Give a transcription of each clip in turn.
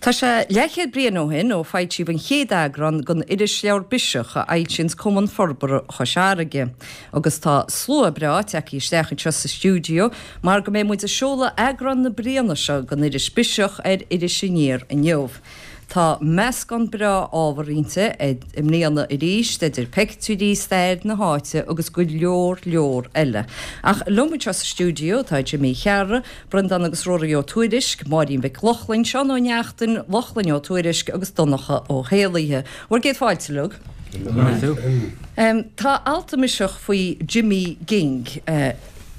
Tá sé leathchéad bliain ó shin ó foilsíodh an chéad eagrán den irisleabhar Biseach a fhoilsíonns Cumann Forbartha Chois Fharraige. Agus tá slua breá tagtha isteach anseo sa stiúideo mar go mbeidh muid ag seoladh eagrán na bliana seo den iris Biseach ar Iris Aniar inniu. Tá meascán breá ábhar inti i mbliana arís, idir peictiúirí, stair na háite agus go leor leor eile. Ach liom anseo sa stiúideo tá Jimí Chearra, Breandán agus Ruairí Ó Tuairisg, Máirín Mhic Lochlainn, Seán Ó Neachtain, Lochlainn Ó Tuairisg agus Donncha Ó hÉallaithe. Bhur gcéad fáilte uilig. Tá alt i mBiseach faoi Jimmy Ging.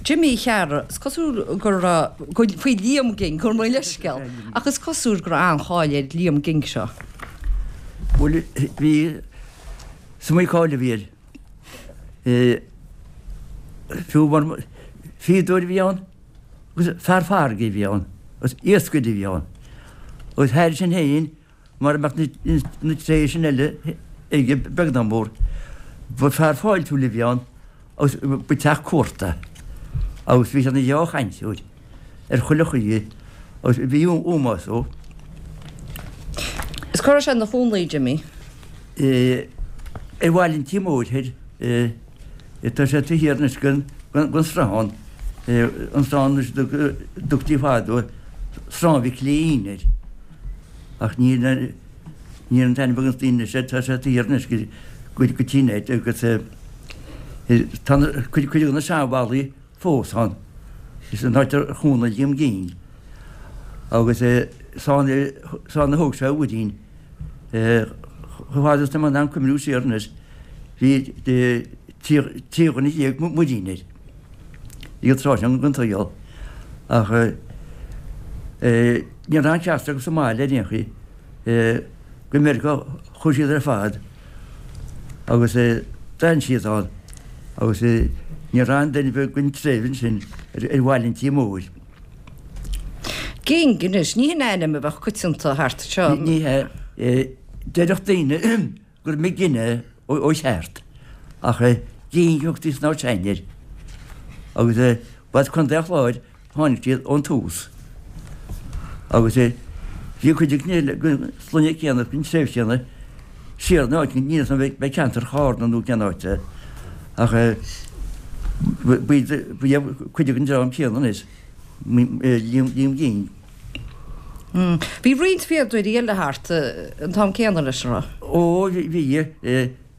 Jimí Chearra, is cosúil go raibh, faoi Liam Ging, gabh mo leithscéal, ach is cosúil go raibh an-cháil ar Liam Ging seo. Bhuel, bhí, is iomaí cáil a bhí air. Fiú mar fíodóir a bhí ann agus fear farraige a bhí ann agus iascaire a bhí ann. Agus thairis sin féin, Mura mbeadh na tréithe sin eile aige beag ná mór, ba fear fáiltiúil a bhí ann agus ba teach cuarta agus bhí sé ina dhea-chainteoir ar chuile chaoi agus bhí ómós dó. Is cá raibh sé ina chónaí, Jimmy? Ar Bhaile an Tí Mhóir thoir. Tá sé taobh thiar anois den sruthán, an sruthán anois a dtugtaí fadó Sruthán Mhic Léin air. Ach níl an t-ainm ag na daoine anois air, tá sé taobh thiar anois go dtí an áit agus tá cuid de na seanbhallaí fós ann. Is an áit ar chónaigh Liam Ging agus is ann a thóg sé a mhuirín. Chomh fada is atá mé in ann cuimhniú siar anois, bhí 13 dhuine muirín air. Ag an tráth sin den tsaol. Ach ní raibh aon cheachtar acu sa mbaile ar aon chaoi. Go Meiriceá a chuaigh siad ar fad agus d'fhan siad ann agus ní raibh aon duine ar bith den treibh ansin ar Bhaile an Tí Mhóir. Ging anois, ní hin ainm a bheadh coitianta thart anseo. Ní hea. Déarfadh daoine gur McGinn é ó cheart, ach Ging a thugtaí san áit air. Agus ba as Contae an Chláir a tháinig siad ón tús. Agus bhí cuid den sloinne céanna, den treibh chéanna, siar in áit, níl 'fhios a'm ab é ceantar Chárna nó cén áit é, ach ba iad cuid den dream céanna anois, Liam Ging. Bhí roinnt fíodóirí eile thart an t-am céanna leis, an raibh? Ó, bhí.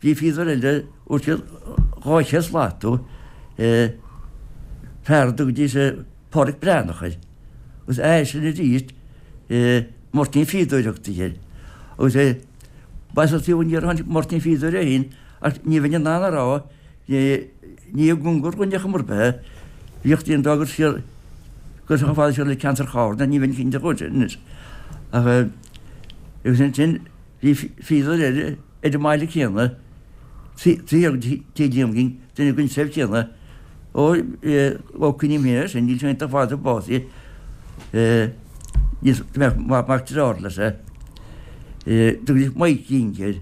Bhí fíodóir eile, fuair siad 200 slat dó, fear a dtugaidís Páraic Breathnach air. Agus eisean arís, Máirtín Fíodóir a thugtaí air. Agus ba as an taobh aniar a tháinig Máirtín Fíodóir é féin ach ní bheinn in ann a rá, ní i gcóngar dhúinn ar chuma ar bith é. Bhíodh daoine ag rá gur siar, gur chomh fada siar le ceantar Chárna, ní bheinn cinnte dhó sin anois. Ach agus ansin bhí fíodóir eile ar an mbaile céanna, taobh thiar de Tigh Liam Ging, duine den treibh chéanna, ó, ó cuimhním féin air sin, níl sé iontach fada ó básaíodh, níos, mac dearthár leis é, tugaidís Mike Ging air,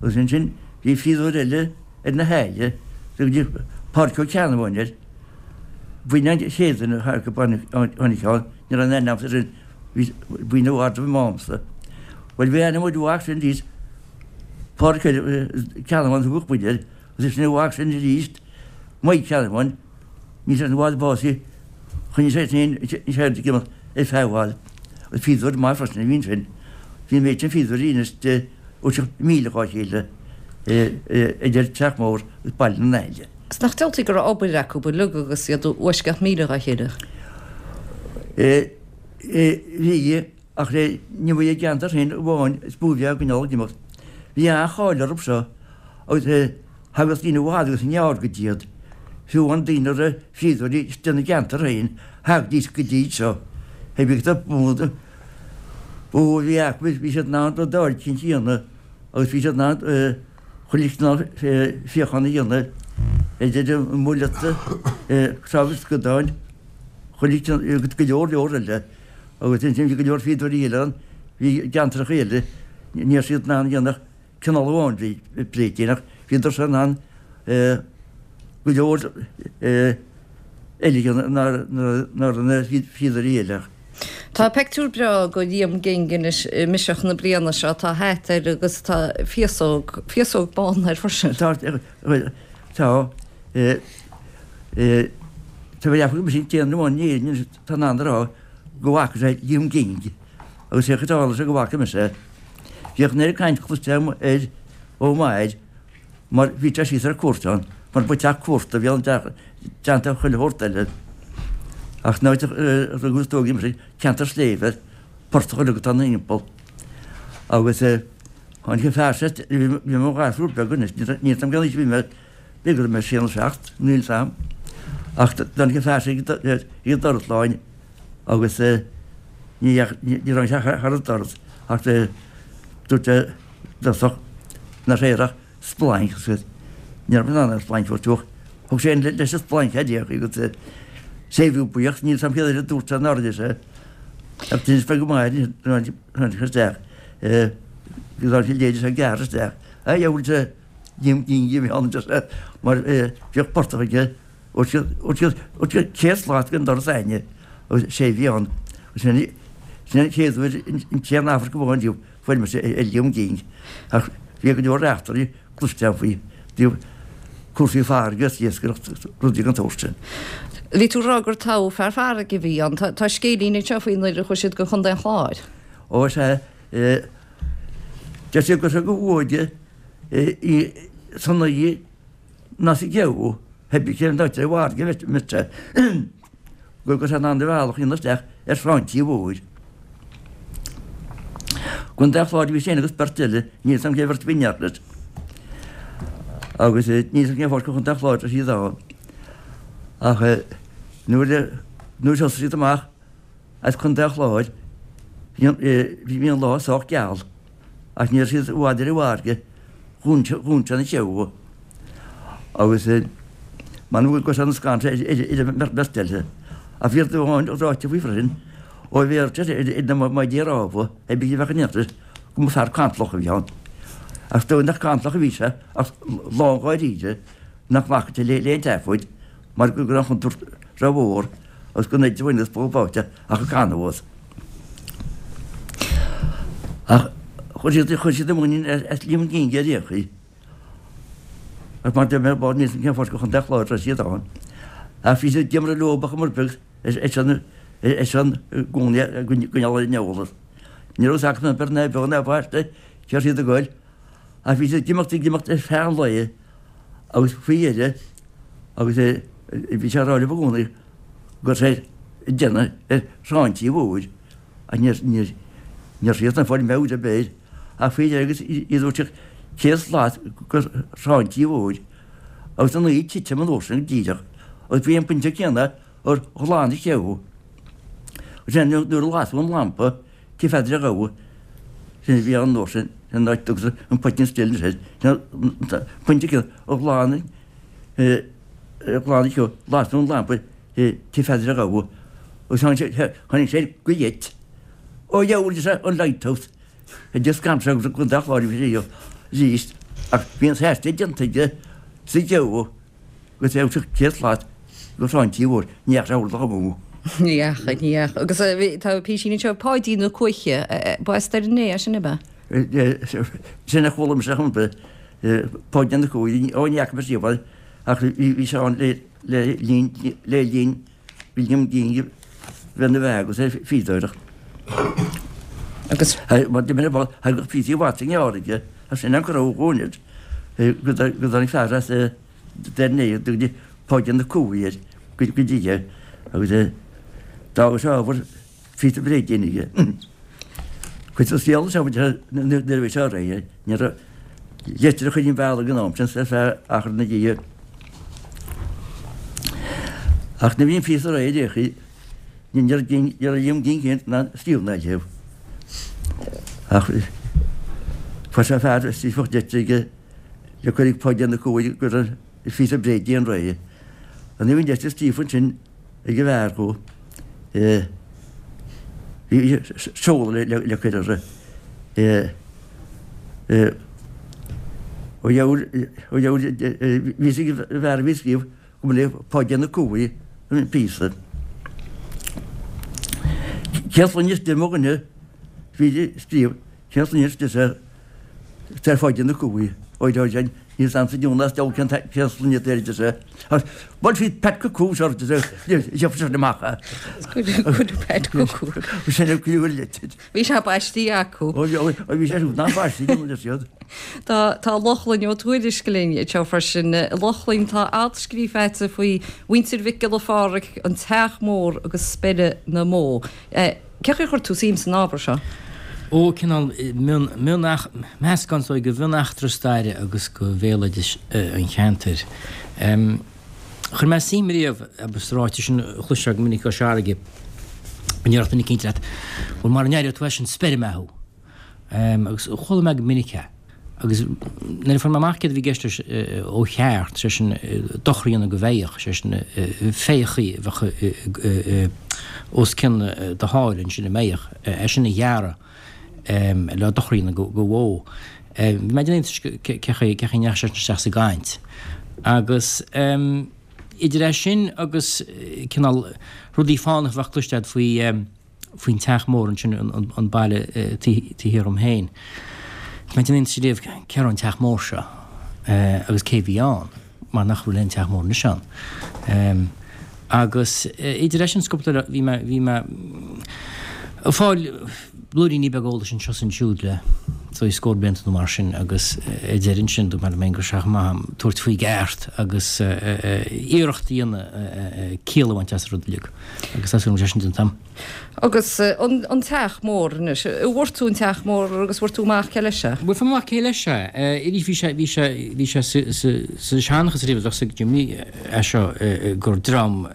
agus ansin bhí fíodóir eile ar na hAille, tugaidís Pádraic Ó Ceannabháin air, b'in an chéad duine a tháinig ann, ní raibh aon aithne agamsa air sin, bhí i bhfad roimh m'amsa. Bhuel bhí aithne muid uaidh sin arís, Pádraic Ceannabháin a thugadh muid air, agus sin uaidh sin arís, Mike Ceannabháin, níl sé i bhfad básaithe, choinnigh sé féin an cheird ag imeacht ar feadh i bhfad. Agus fíodóir maith freisin a bhí ansin. Bhí an méid sin fíodóirí anois de os cionn míle dhá chéile idir Teach Mór agus Baile na nAille. Is nach diabhaltaí go raibh obair acu uilig agus iad i bhfoisceacht míle dhá chéile. Bhí, ach ní ba i gceantar féin amháin is mó a bhí á gcoinneáil ag imeacht. Bhí an-cháil orthu seo agus thagadh daoine i bhfad agus i ngearr go dtí iad. Fiú amháin daoine a raibh fíodóirí istigh ina gceantar féin, thagaidís go dtí seo. Hé bhí ba mhó a bhí acu, bhí siad in ann rud áirid a dhéanamh agus bhí siad in ann chuile chineál fíochán a dhéanamh, idir an muileata, cnámha scadáin, chuile chineál agus go leor leor eile. Agus ansin bhí go leor fíodóirí eile ann, bhí i gceantracha eile, ní raibh siad in ann a dhéanamh ach cineál amháin de bhréidín ach bhíodar in ann go leor eile a dhéanamh ná na fíodóirí eile. Tá peictiúr breá go Liam Ging anois i mBiseach na bliana seo, tá hata air agus tá féasóg, féasóg bán air freisin. Tá, tá, tá mé ag ceapadh go mb'é sin an t-aon duine amháin in Éirinn anois atá in ann a rá go bhfaca sé Liam Ging agus sé a tharla sé go bhfaca mise é. Bhíodh an oiread caint cloiste agam air ó m'athair mar bhí sé síos ar cuairt ann, mar ba teach cuarta a bhí ann i dteannta chuile shórt eile. Ach an áit a rugadh is a tógadh mise, ceantar sléibhe, portach uilig atá ina thimpeall. Agus tháinig an fear seo, bhí mé i mo ghasúr beag anois, níl a fhios agam cén aois a bhí mé, b'fhéidir go raibh mé sé nó seacht, níl a fhios agam. Ach tháinig an fear seo ag an doras lá agus ní raibh sé thar an doras ach dúirt sé i dtosach nach raibh air ach splanc agus ní raibh mé in ann aon splanc a thabhairt Thug sé leis an splanc a d'fhéach agus séimhiú buíoch, níl a fhios agam céard eile a dúirt sé nár rinne sé. Ach d'inis mé go maith tháinig isteach go raibh sé léirithe gearr isteach. A dheabhail sé Liam Ging a bhí ann deir sé mar bhíodh portach aige os cionn 100 slat den doras againne agus sé a bhí ann. Sin an chéad uair an t-aon amharc amháin riamh fuair mise ar Liam Ging ach bhí go leor eachtraí cloiste agam faoi dtaobh cúrsaí farraige agus iascaireacht rudaí den tsórt sin. Bhí tú ag rá gur toghadh fear farraige a bhí ann. Tá scéilín anseo faoi nuair a chuaigh siad go Contae an Chláir. Ó sea, deir siad go raibh sé go bhfuaide í san oíche ná sa gheimhreadh, pé bith cén áit ar an bhfarraige a bheadh sé, go raibh sé in ann a bhealach a dhéanamh isteach ar Thrá an Tí Mhóir. I gContae an Chláir a bhí sé féin agus beirt eile, níl 'fhios a'm cén bheirt a bhí in éineacht leis. Agus níl 'fhios a'm cén fáth gur Chontae an Chláir a raibh siad ann. Ach nuair a nuair a thosaigh siad amach as Contae an Chláir bhí an lá sách geal ach ní raibh siad i bhfad ar an bhfarraige, dhún sé an seabhac agus m'anam go raibh sé ina scanradh ar an mbeirt eile. Ach bhí rud amháin ráite faoi freisin, ó bhéal ar na maidí rámha, pé bith a bheadh in aon chor, go mba fear cantalach a bhí ann. Ach is dóigh nach cantalach a bhí sé ach lán dháiríre nach nglacfadh sé le haon tseafóid mar go raibh an chontúirt rómhór agus gan oiread bhain agus bó báite ach ag canadh as. Ach chuir siad chuir siad a muinín as Liam Ging ar aon chaoi. Ach mar deir mé bord níl 'fhios a'm cén fáth gur Chontae an Chláir a raibh siad ann. Ach bhí siad ag iomramh leo ach mar beag ar son i gcónaí a gcoinneáil ar an eolas. Ní raibh fhios acu ná beir ná beo ná baiste cé raibh siad ag goil. Ach bhí siad ag imeacht ag imeacht ar feadh an lae agus faoi dheireadh agus bhí sé ag rá leo i gcónaí go raibh sé ag déanamh ar Thrá an Tí Mhóir ach ní raibh siad ag fáil meabhair ar bith air ach faoi dheireadh agus iad os cionn 100 slat go Trá an Tí Mhóir agus an oíche ag titim an uair sin go díreach agus bhí an pointe céanna ar ghlan an cheo. Sin nuair a lasadh an lampa Tigh Pheadair a' Ghabha, sin a bhí ann an uair sin, sin an áit a dtugtar an Poitín Stil anois air, sin an pointe céanna ar ghlan ar ghlan an cheo, lasadh an lampa Tigh Pheadair a' Ghabha agus tháinig sé go gheit. Ó dheabhail deir sé, an lighthouse. Deir scanradh agus an dá chlár a bhí arís ach bhí an t-aistear déanta aige sa gceo. Agus é os cionn 100 slat go Trá an Tí Mhóir, ní dheachaigh sé orlach amú. Ní dheachaigh, ní dheachaigh. Agus tá písín anseo, Páidín Ó Cuaiche, ba as Doire an Né é sin, ab ea? Sin a chuala mise chomh maith, Páidín Ó Cuaich, ó ní fhaca mise riamh é, ach bhí sé ann le linn, le linn William Ging bheith ina bheatha agus é ag fíodóireacht. Agus. Mar d'imir an ball, thagadh píosaí mhaith sa ngearr aige, as sin an go raibh a dhóthain air, go dtáinig fear as Doire an Né, go dtí Páidín Ó Cuaich air, go dtí é, agus d'fhága sé ábhar phíosa bréidín aige. Cuid den saol seo nuair a bhí sé réidh, ní raibh leictreachas ar an bhealach ag an am sin ar feadh achar na dhiaidh. Ach nuair a bhí an píosa réidh ar aon chaoi, ní raibh Liam Ging féin in ann scríobh ná léamh. Ach fuair sé fear a scríobhfadh litir aige le cur ag Páidín Ó Cuaich go raibh an phíosa bréidín réidh. Nuair a bhí an litir scríofa ansin ag an bhfear dhó, bhí seoladh le cur uirthi. Ó dheabhail, ó dheabhail, bhí fhios ag an bhfear a bhí ag scríobh go mba le Páidín Ó Cuaich an píosa. Cén sloinne is mo dhuine bhí ag scríobh, cén sloinne is ar Pháidín Ó Cuaig, ó ó sin, níl 's a'msa Jonas deabhal cén cén sloinne atá air a deir sé. Bhuail siad Pat chucu seo a deir sé, gheobhaidh sé sin amach é. Cuireadh Pat chucu. Sin é cuireadh an litir. Bhí sé baistí acu. Ó bhí sé siúd nach baistí acu deir siad. Tá tá Lochlainn Ó Tuairisg linn anseo freisin. A Lochlainn, tá alt scríofa agat faoi mhuintir Mhic Giolla Pháraic, an Teach Mór agus Speire na mBó. Cé chaoi a chuir tú suim san ábhar seo? Ó, cineál mion, mion, meascán is dóigh de mhion-eachtra staire agus de bhéaloideas an cheantair. Chuir mé suim riamh, agus ráiteas sin a chloisfeá go minic i gCois Fharraige, go ndéarfadh duine eicínt leat, bhuel mara n-aireoidh tú é sin speirfidh mé thú. Agus chuala mé go minic é. Agus nuair a fuair mé amach céard a bhí i gceist leis ó cheart, sé sin dochar a dhéanamh do bheithíoch, sé sin féitheachaí a bheadh os cionn do sháile ansin i mbeithíoch, é sin a ghearradh le dochar a dhéanamh do bhó. Bhí mé ag déanamh iontais cé chaoi a ndeachaigh sé sin isteach sa gcaint. Agus idir é sin agus cineál rudaí fánacha a bheadh cloiste agat faoi faoin Teach Mór ansin, an baile taobh thiar dhom féin, bhí mé ag déanamh iontais riamh cé raibh an Teach Mór seo agus cé a bhí ann, mar nach bhfuil aon Teach Mór anois ann. Agus idir é sin is cúpla eile, bhí mé, bhí mé ag fáil blúiríní beaga eolais anseo is ansiúd le is dóigh scór blianta nó mar sin agus ar deireadh ansin dúirt mé liom féin go raibh sé chomh maith agam tabhairt faoi i gceart agus iarracht a dhéanamh ciall a bhaint as an rud uilig agus tá súil agam go bhfuil sé sin déanta agam. Agus an teach mór anois, an bhfuair tú an teach mór agus bhfuair tú amach cé leis é? Bhuel, fuair mé amach cé leis é. Arís bhí sé, bhí sé, bhí sé sa, sa, sa seanchas riamh, bheadh a fhios ag Jimmy é seo gur dream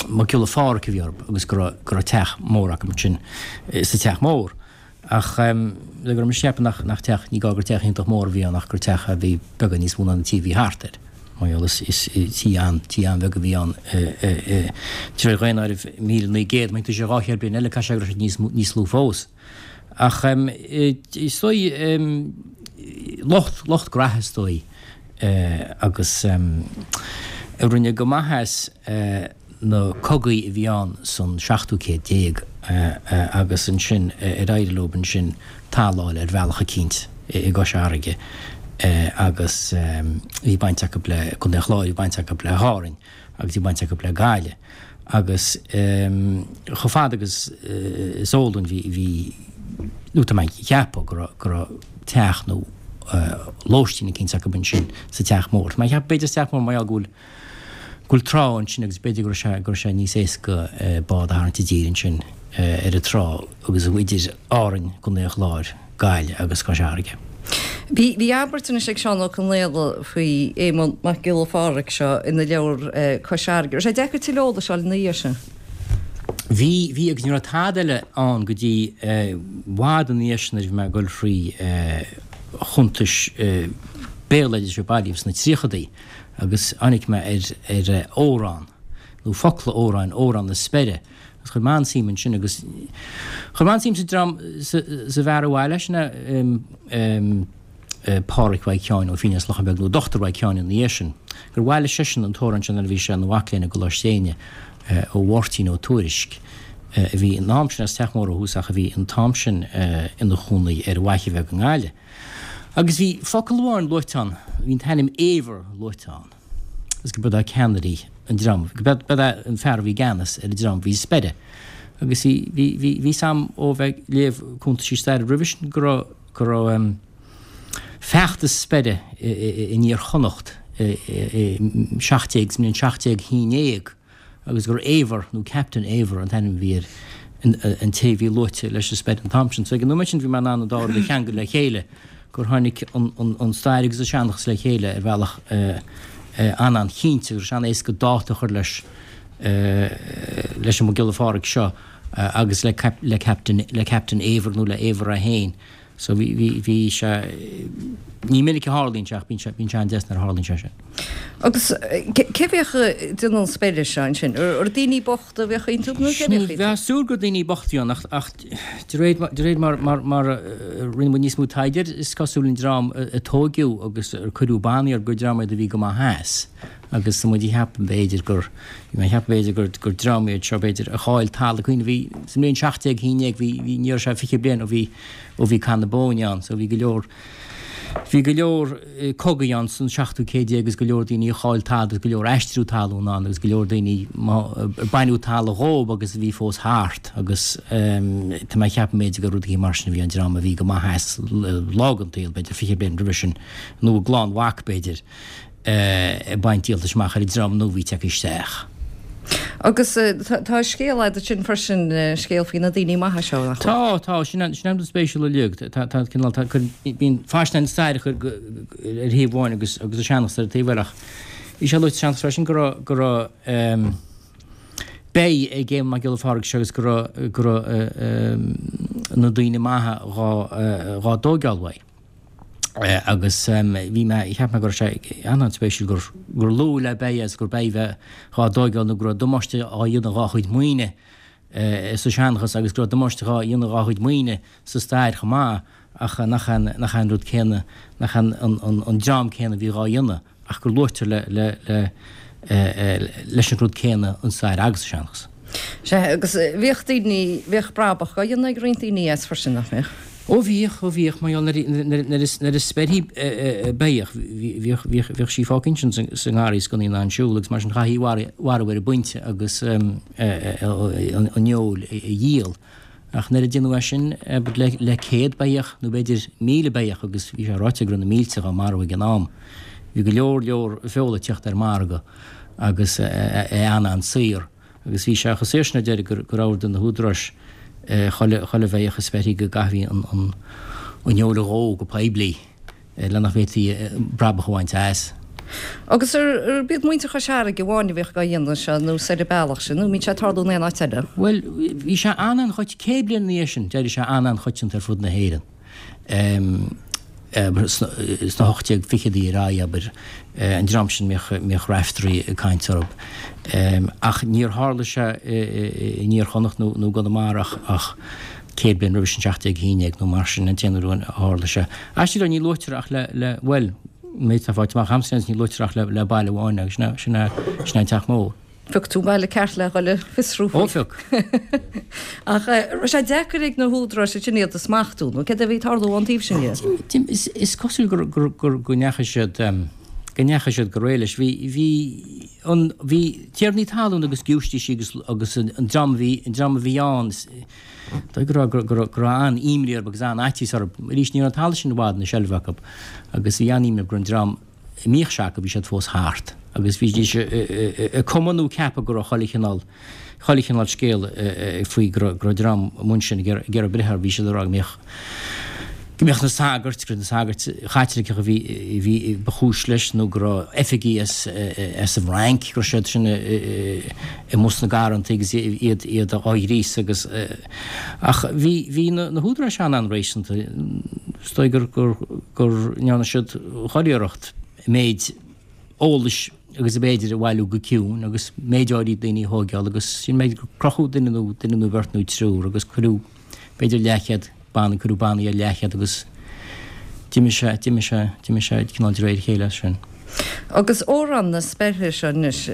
Mac Giolla Pháraic a bhí orthu agus go raibh, go raibh teach mór acu ansin sa teach mór. Ach le go raibh mise ag ceapadh nach, nach teach, ní gá gur teach iontach mór a bhí ann ach gur teach a bhí beagán níos mó ná na tithe a bhí thart air. Mar gheall is, is tí an, tí an-bheag a bhí ann de réir dhaonáireamh 1900, má thiontaíonn sé 200 bliain eile caithfidh sé go raibh sé níos, níos lú fós. Ach is dóigh, lucht, lucht graithe is dóigh agus a rinne go maith as na cogaí a bhí ann san seachtú céad déag agus ansin ar éirigh leo ansin talamh a fháil ar bhealach eicínt i gCois Fharraige agus bhí baint acu le Contae an Chláir, bhí baint acu le hÁrainn agus bhí baint acu le Gaillimh agus chomh fada agus is eol dúinn bhí, bhí, nó tá mé ag ceapadh go raibh, go raibh teach nó lóistín eicínt acu ansin sa teach mór. Tá mé ag ceapadh b'fhéidir sa teach mór mar gheall go bhfuil go bhfuil trá ansin agus b'fhéidir go raibh sé, go raibh sé níos éasca bád a tharraingt i dtír ansin ar an trá agus idir Árainn, Contae an Chláir, Gaillimh agus Cois Fharraige. Bhí, bhí abairt anois ag Seán Ó Conaola faoi Éamonn Mac Giolla Pháraic seo ina leabhar Cois Fharraige. Raibh sé deacair tuilleadh eolais a fháil ina dhiaidh sin? Bhí, bhí agus ní raibh tada eile ann go dtí i bhfad ina dhiaidh sin nuair a bhí mé ag dul thrí chuntais béaloidis a bailíodh sna tríochadaí. agus tháinig mé ar ar amhrán, nó focla amhráin, Amhrán na Speire, agus chuir mé an-suim ansin agus chuir mé an-suim sa dream, sa sa bhfear a bhailigh, sin é Páraic Mhaidhc Sheáin Ó Fínn as Lochán Beag, nó Dochtúir Mhaidhc Sheáin ina dhiaidh sin, gur bhailigh seisean an t-amhrán sin nuair a bhí sé ina mhac léinn i gColáiste Éinne ó Mháirtín Ó Tuairisg, a bhí an t-am sin as Teach Mór ó thús ach a bhí an t-am sin ina chónaí ar an bhFaiche Bheag i nGaillimh. Agus bhí focal amháin luaite ann, bhí an t-ainm Éibhear luaite ann, agus go b'iod é ceannairí an dream, go b'iod é an fear a bhí i gceannas ar an dream a bhí sa Speire. Agus bhí, bhí, bhí, bhí 'fhios a'm ó bheith ag léamh cuntaisí staire roimhe sin go raibh, go raibh em feachtas speire i, i, i, in Iar-Chonnacht i, i, i 17, sa mbliain 1711. agus gur Éibhear, nó Captain Éibhear an t-ainm a bhí ar an té a bhí luaite leis an speir an t-am sin. So ag an nóiméad sin bhí mé in ann an dá rud a cheangal le chéile, gur tháinig an stair agus an seanchas le chéile ar bhealach an-an-chinnte, agus an-éasca dáta a chur leis leis an Mac Giolla Pháraic seo agus le Captain le Captain Éibhear nó le Éibhear é féin. So bhí, bhí, bhí sé, ní minic a tharlaíonn sé ach bíonn sé, bíonn sé an-deas nuair a tharlaíonn sé sin. Agus cé bhíodh ag déanamh an speire seo ansin? Ar daoine bochta a bhíodh iontu nó cé a bhíodh iontu? Bheifeá ag súil gur daoine bochta a bhí ann ach, ach de réir, de réir mar, mar, mar a rinne muid níos mó taighde air, is cosúil an dream a tóigeadh agus ar cuireadh bannaí orthu gur dream iad a bhí go maith as. Agus tá muid ag ceapadh b'fhéidir gur, bhí mé ag ceapadh b'fhéidir gur, gur dream iad seo b'fhéidir a chaill talamh. Cuimhnigh bhí, sa mbliain 1711 bhí, bhí, ní raibh sé 20 bliain ó bhí, ó bhí Cath na Bóinne ann so bhí go leor, bhí go leor cogaí ann san seachtú céad déag agus go leor daoine a chaill talamh agus go leor aistriú talún ann agus go leor daoine ar baineadh talamh dhóib agus a bhí fós thart agus tá mé ag ceapadh b'fhéidir gur rudaí mar sin a bhí an dream a bhí go maith as lá den tsaol b'fhéidir 20 bliain roimhe sin nó a gclann mhac b'fhéidir. ag baint díoltais amach ar an dream nua a bhí tagtha isteach. Agus tá scéal agat ansin freisin, scéal faoi na daoine maithe seo, nach bhfuil? Tá, tá, sin an rud spéisiúil uilig. Tá, tá cineál, tá, bíonn faisnéis na staire ar thaobh amháin agus agus an seanchas ar an taobh eile ach bhí sé luaite sa seanchas freisin go raibh, go raibh beithígh ag Éamonn Mac Giolla Phádraig seo agus go raibh, go raibh na daoine maithe dhá, dhá dtóigeáil uaidh. Agus bhí mé, cheap mé go raibh sé an-an-spéisiúil gur, gur luadh le beithígh agus gur beithígh a bheith dhá dtóigeáil nó go raibh damáiste á dhéanamh dhá chuid maoine sa seanchas agus go raibh damáiste dhá dhéanamh dhá chuid maoine sa stair chomh maith ach nach é an, nach é an rud céanna, nach é an, an, an dream céanna a bhí dhá dhéanamh ach gur luaitear le, le, le, leis an rud céanna an stair agus an seanchas. Sea, agus bhíodh daoine, bhíodh brabach á dhéanamh ag roinnt daoine as freisin, nach mbíodh? Ó bhíodh, ó bhíodh, mar gheall nuair a speirthí beithíoch, bhíodh, bhíodh, bhíodh sí fágtha ansin sa ngarraí is gan í in ann siúl agus mar sin chaithfí í a mharú ar an bpointe agus an fheoil a dhíol. Ach nuair a déanadh é sin le 100 beithíoch nó b'fhéidir 1,000 beithíoch agus bhí sé ráite go raibh na mílte dhá marú ag an am, bhí go leor leor feola ag teacht ar an margadh agus é an-an-saor. Agus bhí sé chomh saor sin ar deireadh gur gur ordaigh na húdaráis chuile chuile bheithíoch a speirthí go gcaithfí an an an fheoil a dhó go poiblí le nach bhféadfaí brabach a bhaint as. Agus ar b'iad muintir Chois Fharraige amháin a bhíodh dhá dhéanamh seo nó ar an bealach sin nó an mbíodh sé ag tarlú in aon áit eile? Bhuel, bhí sé an-an-choit, 100 bliain ina dhiaidh sin, d'éirigh sé an-an-choitianta ar fud na hÉireann. Sna 1820idí ar aghaidh, abair, an dream sin mbíodh Raiftearaí ag caint orthu. Ach níor tharla sé in Iar Chonnacht nó i gConamara ach 100 bliain roimhe sin, 1711 nó mar sin, an t-aon uair a tharla sé. Aisteach go leor, ní luaitear ach le, le, bhuel, méid atá faighte amach agamsa, ní luaitear ach le, le baile amháin agus sin é, sin é an Teach Mór. Phioc tú baile ceart le dhul ag fiosrú faoi. Ó, phioc. Ach raibh sé deacair ag na húdaráis ansin iad a smachtú, nó céard a bhí ag tarlú ón taobh sin dhe? Is cosúil gur, gur, gur, go ndeachaigh siad, go ndeachaigh siad go réidh leis. Bhí, bhí an, bhí tiarnaí talún agus giúistísí agus, agus an dream a bhí, an dream a bhí ann, is dóigh go raibh, go raibh, go raibh an-imní orthu agus an-fhaitíos orthu. Arís, ní raibh an talamh sin i bhfad ina seilbh acu agus bhí an-imní orthu go raibh an dream, a mbíodh sé acu, bhí siad fós thart agus bhídís ag cumadh nó ag ceapadh go raibh chuile chineál, chuile chineál scéal faoi go raibh, go raibh dream amuigh ansin ag iarraidh, ag iarraidh breith orthu. Bhí siad ag rá go mbeadh, go mbeadh na sagairt, go raibh na sagairt Chaitliceacha a bhí, a bhí, ba chúis leis nó go raibh oifigigh as, as an bhFrainc, go raibh siad sin amuigh sna garrantaí agus iad, iad á ghríosadh agus, ach bhí, bhí na, na húdaráis an-an-réasúnta. Is dóigh gur, gur, gur ndearna siad chuile iarracht méid eolais agus ab fhéidir a bhailiú go ciúin agus méid áirid daoine a thóigeáil agus sin méid gur crochadh duine nó duine nó beirt nó triúr agus cuireadh b'fhéidir leathchéad bannaí, cuireadh bannaí ar leathchéad agus d'imigh sé, d'imigh sé, d'imigh sé cineál de réir a chéile as sin. Agus Amhrán na Speirthe seo anois,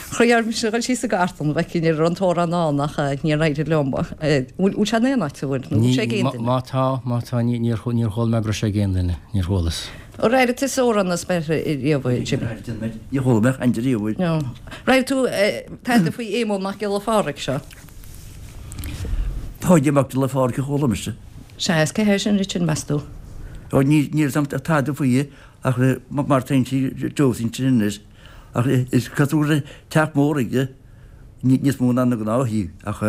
chroí orm mise a dhul síos sa gcartlann a bhfeicfinn an raibh an t-amhrán ann ach níor éirigh liom. Bhfuil sé in aon áit, an bhfuil? Nó bhfuil sé ag aon duine? Má tá, má tá, níor chuala mé go raibh sé ag aon duine, níor chualas. Ar airigh tusa Amhrán na Speirthe riamh, a Jimmy? Níor chuala mé caint riamh air. No. Ar airigh tú tada faoi Éamonn Mac Giolla Phádraig seo? Páidí Mac Giolla Phádraig a chuala mise. Sea, is cé hé sin Richard, meas tú? Ó, níl 'fhios a'm tada faoi ach mar tá sí Josie ansin anois ach is cosúil go raibh teach mór aige, níos mó ná na gnáth-thithe ach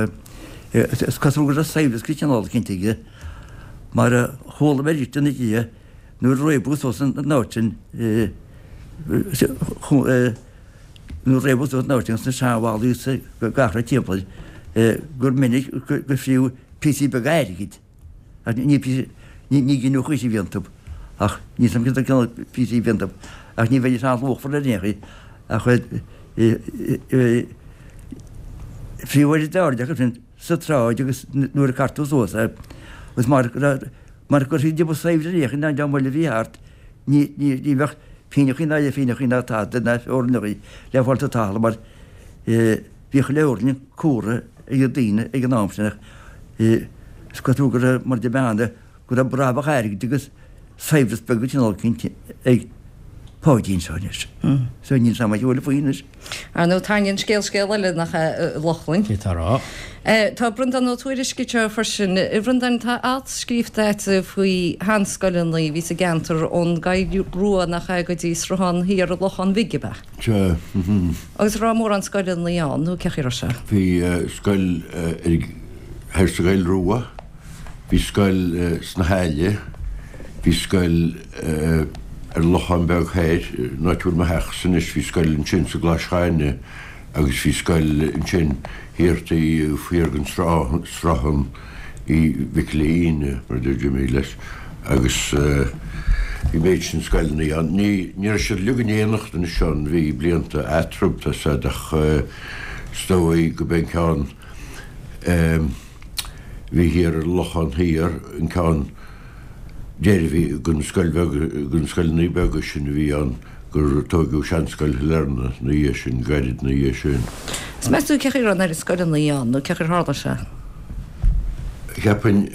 is cosúil go raibh saibhreas de chineál eicínt aige mar a chuala mé arís ina dhiaidh nuair a réabadh suas an áit sin nuair a réabadh suas an áit sin sna seanbhallaí is gach rud timpeall gur minic gur fríodh píosaí beaga airgid. Ach ní píosa, ní gineadh choíche a bhí iontu. Ach níl 'fhios a'm cén cineál píosaí a bhí iontu. Ach ní bheidís an-luachmhar ar aon chaoi. Ach fiú ar an dtairde acu sin sa tsráid agus nuair a cartadh suas é agus mar mar gur siad ba saibhre ar aon chaoi ná an dream eile a bhí thart ní ní bheadh. pínneachaí ná leathphínneachaí ná tada ná feoirneachaí le fáil sa talamh mar bhíodh leabharlann cumhra ag na daoine ag an am sin ach is cosúil go raibh, mar a deir bean de, go raibh brabach airgid agus saibhreas beag de chineál eicínt ag Páidí anseo anois. So níl 's a'm a thuilleadh faoi anois. Ar ndóigh, tarraingíonn scéal scéal eile, nach ea, a Lochlainn? Cé tá a rá? Tá Breandán Ó Tuairisg anseo freisin. A Bhreandáin, tá alt scríofa agat faoi sheanscoileanna a bhí sa gceantar ón gCoill Rua, nach ea, go dtí Sruthán Thiar an Locháin Bhig, ab ea? Sea. Agus an raibh mórán scoileanna ann, nó cé chaoi a raibh sé? Bhí scoil thoir sa gCoill Rua. Bhí scoil sna hAille, bhí scoil ar an Lochán Beag Thoir, an áit a bhfuil mo theachsa anois, bhí scoil ansin sa gClais Chairne agus bhí scoil ansin thiar taobh thiar den sruthán Uí Mhic Giolla Íne, mar a deir Jimmy leis, agus bhí méid sin scoileanna ann. Ní ní raibh siad uilig in éineacht anois ann, bhí blianta eatarthu, tá 's a'd, ach is dóigh go b'é an ceann. Bhí thiar ar an Lochán Thiar, an ceann deiridh a bhí den scoil bheag, de na scoileanna beaga sin a bhí ann gur tóigeadh Seanscoil Shailearna 'na dhiaidh sin, gairid 'na dhiaidh sin. Is meas tú cé chaoi a raibh an oiread scoileanna ann nó cé chaoi ar tharla sé? Cheapfainn,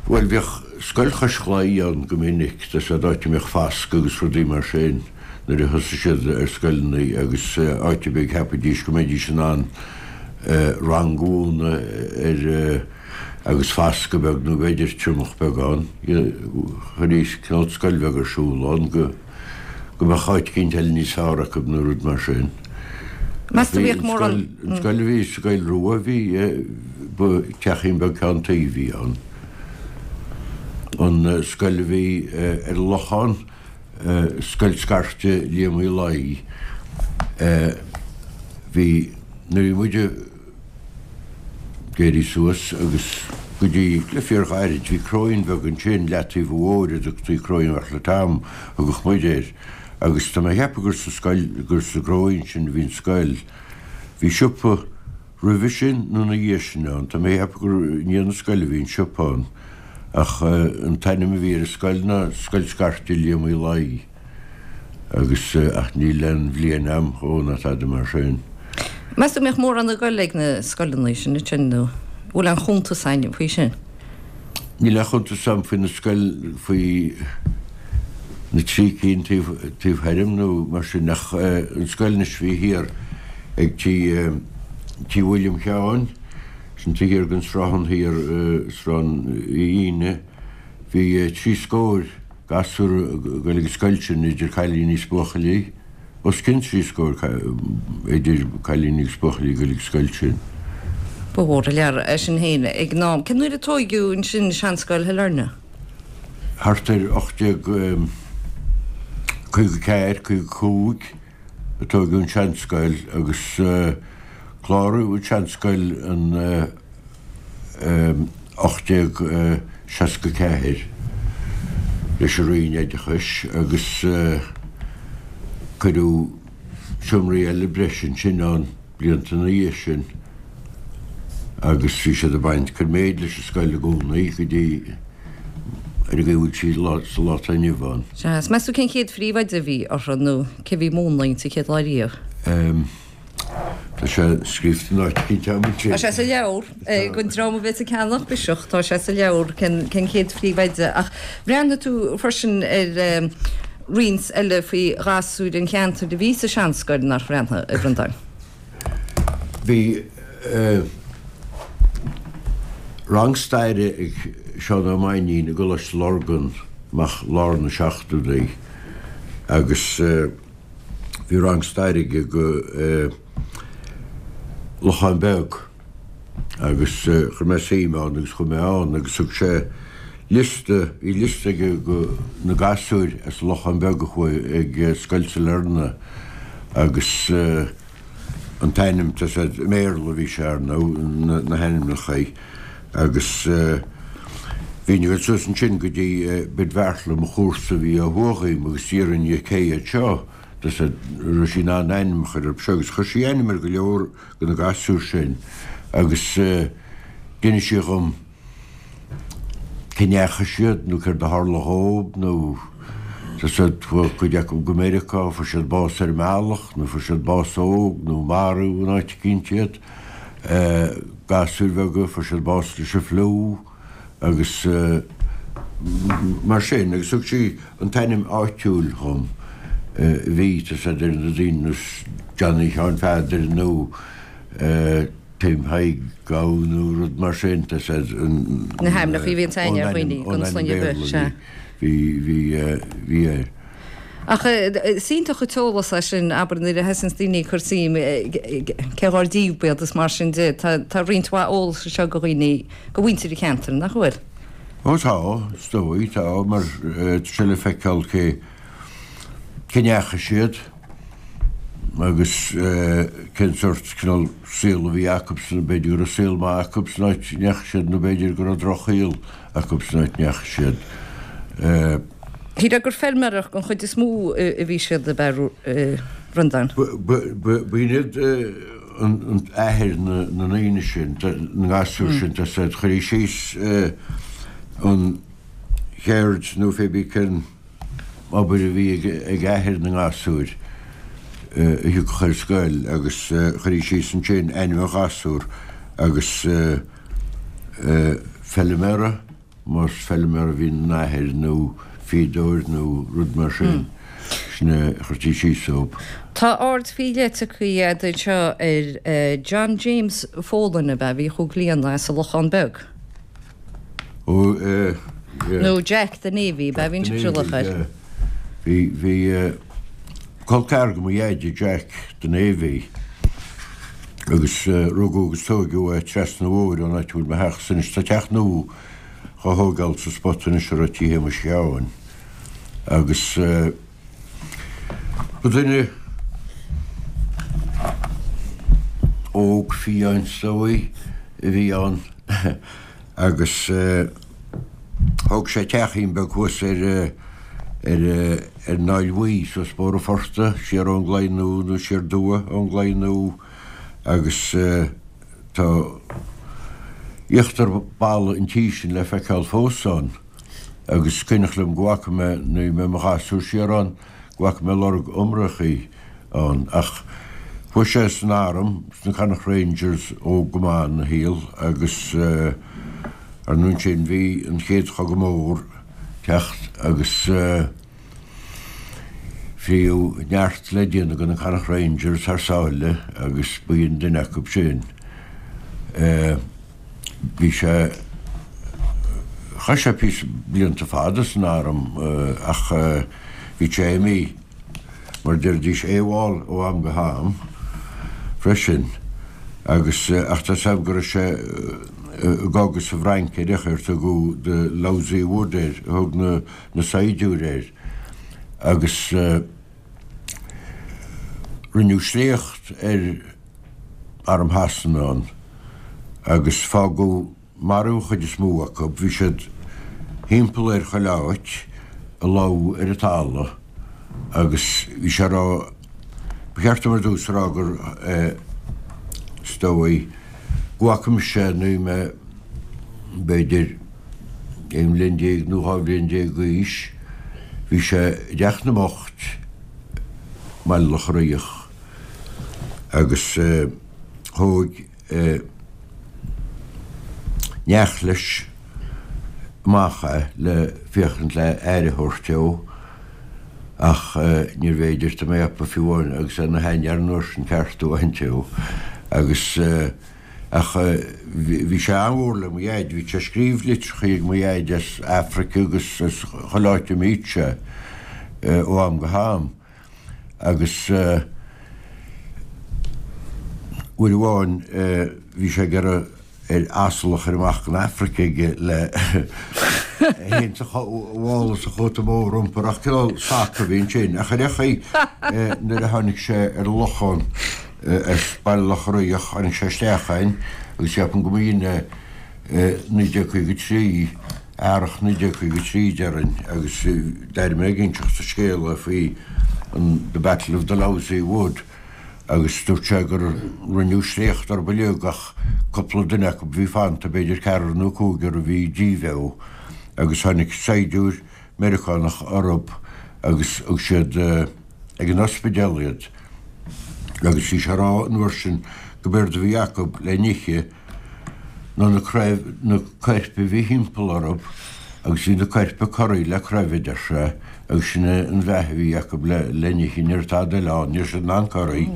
bhuel bhíodh Scoil Chois Chlaí ann go minic, tá 's a'd, áit a mbíodh fascadh agus rudaí mar sin nuair a thosaigh siad ar scoileanna agus áit ar bith a cheapfaidís go mbeidís in ann rang a mhúineadh ar agus fascadh beag nó b'fhéidir triomach beag ann. Chuiridís cineál scoil bheag ar siúl ann go go mbeadh áit eicínt eile níos fearr acu nó rud mar sin. Meas tú bhíodh mórán. An scoil a bhí sa gCoill Rua bhí ba teachín beag ceann tuí a bhí ann. An scoil a bhí ar an Lochán, Scoil Scairte Liam Uí Laoi. Bhí, nuair a bhí muid ag éirí suas agus go dtí le fíorghairid, bhí cróín bheag ansin, leataobh an bhóthair a dtugtaí Cróín Bheartla Tom, a thugadh muid air. Agus tá mé a cheapadh gur sa scoil, gur sa gcróín sin a bhí an scoil. Bhí siopa roimhe sin nó ina dhiaidh sin ann, tá mé a cheapadh gur i ndiaidh na scoile a bhí an siopa ann. Ach an t-ainm a bhí ar an scoil ná Scoil Scairte Liam Uí Laoi agus ach níl aon bhliain a'm dhó ná tada mar sin. Meas tú an mbeadh mórán ag goil ag na scoileanna sin ansin nó bhfuil aon chuntas a'inn faoi sin? Níl aon chuntas a'm faoi na scoil faoi na trí cinn taobh taobh thoir dhom nó mar sin ach an scoil anois a bhí thiar ag tí tí William Sheáin, Sin taobh thiar den sruthán thiar, Sruthán Uí Fhíne, bhí trí scóir gasúr ag goil ag an scoil sin, idir cailíní is buachaillí, os cionn trí scóir idir cailíní agus buachaillí ag goil ag an scoil sin. Ba mhór an lear é sin féin ag an am. Cén uair a tóigeadh ansin Seanscoil Shailearna? Thart ar 1854, 55. a tóigeadh an tseanscoil agus cláraíodh an tseanscoil in 1864 leis an Roinn Oideachais agus cuireadh seomraí eile breise ansin ann blianta ina dhiaidh sin agus bhí siad ag baint, cur méid leis an scoil i gcónaí go dtí ar an gcaoi a bhfuil sí sa lá atá inniu ann. Sea, is meas tú cén chéad phríomhoide a bhí orthu nó cé bhí ag múineadh inti chéad lá riamh? Em, tá sé scríofa in áit eicínt agam ansin. Tá sé sa leabhar, don dream a bheas ag ceannach Biseach, tá sé sa leabhar cén cén chéad phríomhoide ach bhreathnaigh tú freisin ar roinnt eile faoi ghasúir an cheantair a bhí sa seanscoil, nár bhreathnaigh, a Bhreandáin? Bhí rang staire ag Seán Ó Mainnín i gColáiste Lurgan amach lár na seachtóidí agus bhí rang staire aige go Lochán Beag agus chuir mé suim ann agus chuaigh mé ann agus thug sé liosta, bhí liosta aige go na gasúir as an Lochán Beag a chuaigh ag Scoil Sailearna agus an t-ainm, tá sé i mBéarla a bhí sé ar ndóigh, na hainmneacha agus bhínn ag dul suas ansin go dtí Bid Bheartla, mo chomharsa a bhí ó thuaidh dhíom agus d'iarrainn dhi cé hiad seo, tá sé, raibh sí in ann ainm a chur orthu seo agus chuir sí ainm ar go leor de na gasúir sin agus d'inis sí dhom cá ndeachaigh siad nó céard a tharla dhób nó. Tá 's a'd, chuaigh cuid acu go Meiriceá, fuair siad bás ar an mbealach, nó fuair siad bás óg, nó maraíodh in áit eicínt iad. Gasúir bheaga, fuair siad bás leis an fliú agus mar sin. Agus thug sí an t-ainm áitiúil dhom a bhí, tá 's a'd, ar na daoine nós Johnny Sheáin Pheadair nó Tim Thaidhg Gabh nó rud mar sin, tá 's a'd, an. Na hainmneacha a bhíonns aithne ar dhaoine gan sloinne ar bith, sea. Bhí, bhí, bhí air. Ach is iontach an t-eolas é sin, abair, nuair a thosaíonns daoine ag cur suim cé dhár díobh iad is mar sin de. Tá, tá roinnt mhaith eolais anseo do dhaoine, do mhuintir an cheantair, nach bhfuil? Ó tá, is dóigh, tá, mar tá sé le feiceáil cé, cá ndeachaigh siad agus cén sórt cineál saol a bhí acubsan, b'fhéidir go raibh saol maith acu san áit a ndeachaigh siad nó b'fhéidir go raibh drochshaol acu san áit a ndeachaigh siad. Shílfeá gur feilméaracht den chuid is mó a bhí siad ab ea a Bhreandáin? B'in iad an athair na ndaoine sin, na ngasúr sin, tá 's a'd, chuirí síos an cheird nó pé bí cén obair a bhí ag athair na ngasúr a thiocfadh ar scoil agus chuirí síos ansin ainm an ghasúir agus feilméara, más feilméara a bhí ina athair nó fíodóir nó rud mar sin, sin a chuirtí síos dóibh. Tá aird faoi leith tugtha agat anseo ar John James Folan ab ea, a bhí chomh gliana as an Lochán Beag. Ó, yeah. Nó Jack the Navy, ab ea a bhíonn sibhse ag glaoch air. Bhí, bhí col ceathrar de mo dheaide, Jack the Navy, agus rugadh agus tóigeadh é trasna an bhóthair ón áit a bhfuil mo theachsa anois. Tá teach nua dhá thógáil sa spota anois a raibh tí Shéamuis Sheáin agus ba duine óg fiáin is dóigh a bhí ann agus thóg sé teachín beag thuas ar ar ar an Aill Bhuí suas Bóthar an Phortaigh, siar ón gClaí Nua nó siar aduaidh ón gClaí Nua agus tá íochtar balla an tí sin le feiceáil fós ann agus is cuimhneach liom go bhfaca mé nuair a bhí mé i mo ghasúr siar ann go bhfaca mé lorg iomrachaí ann ach chuaigh sé san arm, sna Connacht Rangers óg go maith ina shaol agus ar ndóigh ansin bhí an Chéad Chogadh Mór ag teacht agus fríodh neart le déanamh de na Connacht Rangers thar sáile agus b'in duine acu sin. Bhí sé, chaith sé píosa blianta fada san arm ach bhí sé imithe, mar a deiridís, AWOL ó am go ham freisin agus ach tá 's a'm go raibh sé i gcogadh sa bhFrainc ar chaoi ar tugadh the Lousy Wood air, a thug na na saighdiúirí air agus rinneadh sléacht ar arm Shasana ann agus fágadh marbh an chuid is mó acu. Bhí siad thimpeall air chuile áit, ag lobhadh ar an talamh agus bhí sé a rá, ba cheart dom ar dtús a rá gur is dóigh go bhfaca mise é nuair a bhí mé b'fhéidir aon bhliain déag nó 12 bhliain d'aois, bhí sé i dTeach na mBocht i mBaile Locha Riach agus thóg neach leis amach é le féachaint le aire a thabhairt dó ach níorbh fhéidir tá mé a cheapadh fiú amháin agus é ina sheanfhear an uair sin ceartú a bhaint dó agus ach bhí sé an-mhór le mo dhaid, bhí sé ag scríobh litreachaí ag mo dhaid as Afraic agus as chuile áit a mbíodh sé ó am go ham. Agus uair amháin bhí sé ag iarraidh ar asal a chur amach go Afraic aige le é féin sa mhála sa chóta mór a iompar ach cineál sac a bhí ansin. Ach ar aon chaoi nuair a tháinig sé ar an Lochán as Baile Locha Riach tháinig sé isteach againn agus ceapaim go mb'in é 1953 Earrach 1953 déarfainn agus d'éirigh mé ag inseacht an scéala faoi an The Battle of the Lousy Wood agus dúirt sé gur rinneadh sléacht orthu uilig ach cúpla duine acu a bhí fanta, b'fhéidir ceathrar nó cúigear a bhí díbheo agus tháinig saighdiúir Meiriceánach orthu. agus thug siad ag an ospidéal iad agus bhí sé a rá an uair sin go b'éard a bhí acu le n-ithe ná na craobh, na coirp a bhí thimpeall orthu agus bhí na coirp corraithe le craobh a deir sé agus sin é an bheatha a bhí acu le le n-ithe, ní raibh tada eile ann, ní raibh siad in ann corraí.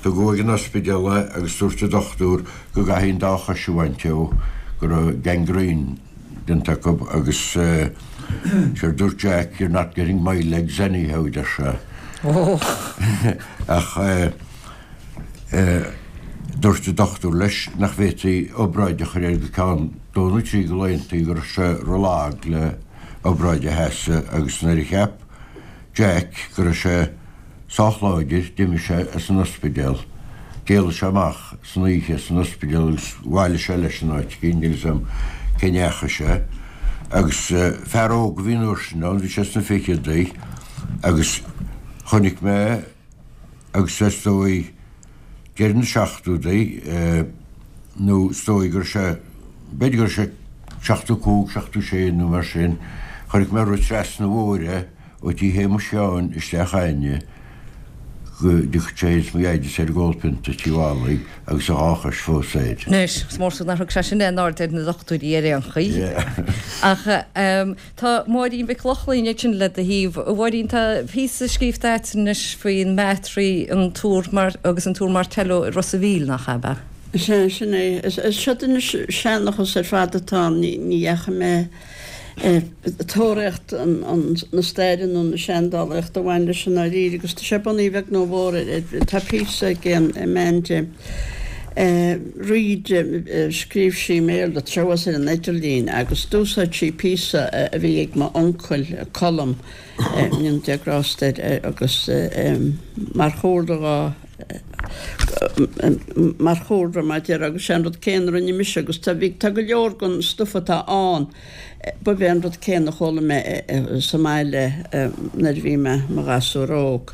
Tugadh ag an ospidéal é agus dúirt an dochtúir go gcaithfí an dá chois a bhaint dó, go raibh gangrene déanta acu agus séard dúirt Jack, you're not getting my legs anyhow, a deir sé. Ach. Dúirt an dochtúir leis nach bhféadfaí obráid a chur air go ceann dó nó trí de laethanta go raibh sé rólag le obráid a sheasamh agus nuair a cheap Jack go raibh sé sách láidir d'imigh sé as an ospidéal. D'éalaigh sé amach san oíche as an ospidéal agus bhailigh sé leis in áit éicint, níl 'fhios a'm cé ndeachaigh sé. Agus fear óg a bhí an uair sin ann, bhí sé sna ficheadaí agus chonaic mé, agus is dóigh deireadh na seachtóidí nó is dóigh go raibh sé, b'fhéidir go raibh sé 75, 76 nó mar sin, chonaic mé ag rith trasna an bhóthair é ó tí Shéamuis Sheáin isteach a'inne go dtiocfadh sé is mo dheaideas ar ag ól pionta Tí Mholly agus a dhá chois fós air. Anois, is mór nár thug sé sin aon aird ar na dochtúirí ar aon chaoi. Ach. Tá Máirín Mhic Lochlainn ansin le do thaobh. A Mháirín, tá píosa scríofa agat anois faoin mBattery, an Túr Mar agus an Túr Martello i Ros a' Mhíl, nach ea? Sea, sin é. Is seod anois seanchas ar fad atá ann. Ní dheachaigh mé ag tóraíocht na staire nó na seandálaíochta a bhain leis i ndáiríre agus tá sé bunaithe a bheag nó a mhór ar, tá píosa ag Amanda Reid, scríobh sí i mBéarla, tá sé thuas ar an idirlíon, agus d'úsáid sí píosa a bhí ag m'uncail, Colm, go ndéana Dia grásta air, agus mar chúlra dhó, mar chúlra, mar a déarfá, agus sé an rud céanna a rinne mise, agus tá, bhí, tá go leor den stuif atá ann, Ba é an rud céanna a chuala mé sa mbaile nuair a bhí mé i mo ghasúr óg.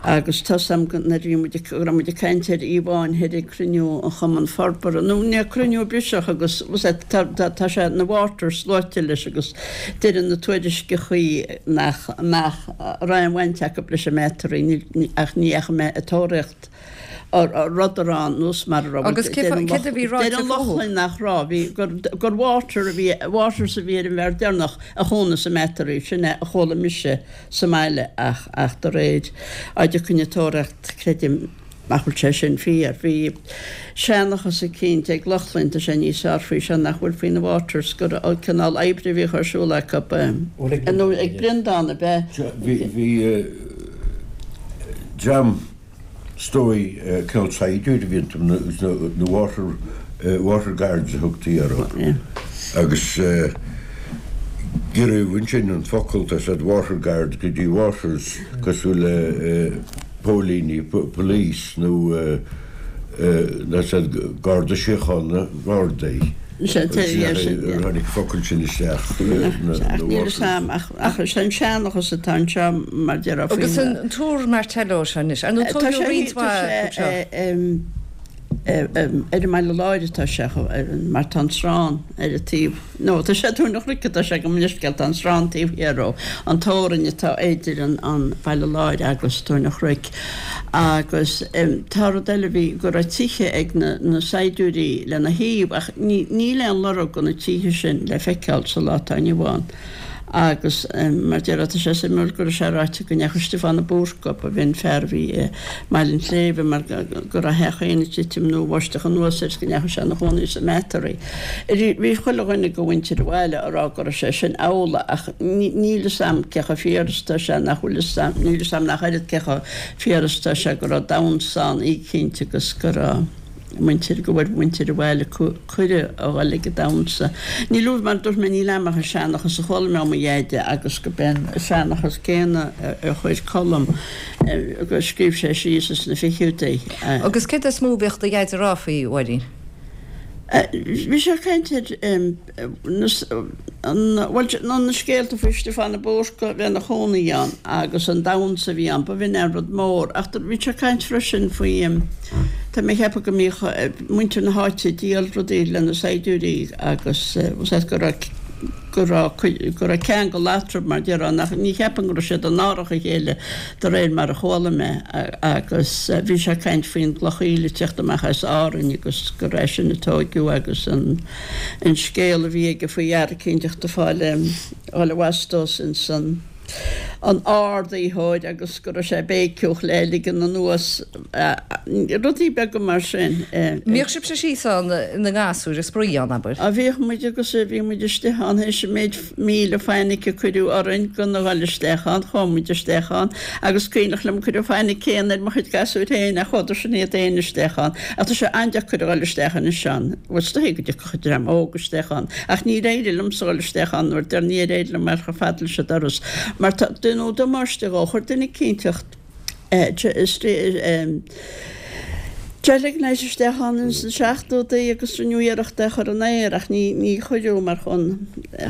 Agus tá 'fhios a'm nuair a bhí muid, go raibh muid ag caint ar íomháin thoir ag cruinniú an Chumann Forbartha, nó ní, cruinniú Biseach agus tá, tá sé, na Waters luaite leis agus deireann na tuairisceachaí nach, nach raibh aon bhaint acu leis an mBattery, ach ní dheachaigh mé ag tóraíocht. Rud ar nós mar a raibh. Agus céard a bhí ráite fúthu? Deir an Lochlainn nach raibh, bhí, gur, gur Water a bhí, Waters a bhí ar an bhfear deireanach a chónaigh sa mBattery, sin é a chuala mise sa mbaile ach, ach de réir á dtiocfainn ag tóraíocht, creidim nach bhfuil sé sin fíor. Bhí seanchas eicínt ag Lochlainn, tá sé níos fearr faoi seo nach bhfuil faoi na Waters, gur cineál oibre a bhíodh ar siúl acu, nó ag Breandán ab ea? Bhí, bhí dream. Is dóigh, cineál saighdiúir a bhí iontu, na water, water guards a thugtaí orthu. Agus giorraíodh ansin an focal, tá 'fhios a'd, water guard go dtí waters, cosúil le póilíní, police, nó tá 'fhios a'd, Garda Síochána, Gardaí. Tháinig an focal sin isteach, na waters. Ach is é an seanchas atá anseo mar déarfá faoin. Agus an Túr Martello seo anois, ar ndóigh tógadh roinnt mhaith acu seo. Ar an mBaile Láir atá sé, mar tá an srán ar an taobh, nó tá sé Tóin an Chnoic atá sé gabh mo leithscéal, tá an srán taobh thiar dhó, an teorainn atá idir an Baile Láir agus Tóin an Chnoic. Agus tá rud eile, bhí, go raibh tithe ag na saighdiúirí lena thaobh ach níl aon lorg de na tithe sin le feiceáil sa lá atá inniu ann. Agus mar déarfá, tá sé suimiúil go raibh sé ráite go ndeachaigh Stiofán de Búrca, ba bh'in fear a bhí i mBaile an tSléibhe, mar go raibh a theach féin ag titim nó bháisteach anuas air is go ndeachaigh sé ina chónaí sa mBattery. Bhí chuile dhuine de mhuintir an bhaile a rá go raibh sé sin amhlaidh ach níl fhios a'm cé chomh fíor is atá sé nach bhfuil fhios a'm, níl fhios a'm nach oiread cé chomh fíor is atá sé go raibh damhsa ann oícheanta agus go raibh. muintir, go bhfuair muintir an bhaile cuireadh a dhul ag an damhsa. Níl uaibh, mar a dúirt mé, níl a'm ach an seanchas a chuala mé ó mo dheaide agus go b'é an seanchas céanna a chuir Colm, go scríobh sé síos ins na fichidí. Agus céard is mó a bhíodh do dheaide a rá faoi, a Mháirín? Bhí sé ag caint ar. Bhuel, na scéalta faoi Stiofán de Búrca a bheith ina chónaí ann agus an damhsa a bhí ann, ba bh'in an rud mór. Ach bhí sé ag caint freisin faoi, tá mé ag ceapadh go mbíodh muintir na háite ag díol rudaí le na saighdiúirí agus go raibh. go raibh cuid, go raibh ceangal eatarthu mar déarfá nach, ní cheapaim go raibh siad in árach a chéile de réir mar a chuala mé agus bhí sé ag caint faoin gcloch aoile ag teacht amach as Árainn agus gur é sin a tóigeadh agus an an scéal a bhí aige faoi fhear eicínteacht ag fáil fháil a bhastos ins an an ardaitheoir agus go raibh sé ag béiceadh le ligean anuas, rudaí beaga mar sin. Mbíodh sibhse síos ann ina ngasúir ag spraoi ann, abair? Á bhíodh muid agus bhí muid istigh ann théis an méid míle fainic a cuireadh orainn gan a dhul isteach ann, chuaigh muid isteach ann agus cuimhneach liom cuireadh fainic céanna ar mo chuid gasúir féin ach chuadar sin iad féin isteach ann. Ach tá sé an-deacair a dhul isteach anois ann, bhuel is dóigh go dtiocfadh dream óg isteach ann ach níor éirigh liomsa dhul isteach ann nuair deir níor éirigh liom a dhul chomh fada leis an doras mar tá deineadh damáiste dhó chuir duine eicínteacht gelignite isteach ann ins na seachtódaí agus rinneadh iarracht é a chur in aer ach ní ní chuireadh mar chun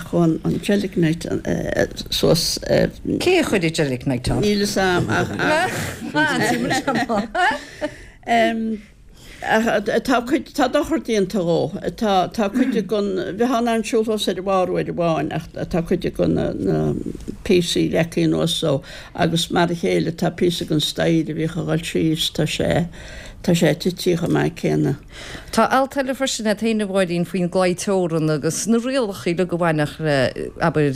chun an gelignite suas Cé a chuir an gelignite ann? Níl fhios a'm ach ach Ach tá cuid, tá dochar déanta dhó. Tá, tá cuid den, bheifeá in ann siúl thuas ar a bharr uair amháin ach tá cuid de na, na píosaí leagtha anuas dó agus mar a chéile tá píosa den staighre a bhíodh a dhul síos, tá sé, tá sé tití chomh maith céanna. Tá alt eile freisin agat féin a Mháirín faoin gclaí teorann agus na rialacha uilig a bhainfeadh le, abair,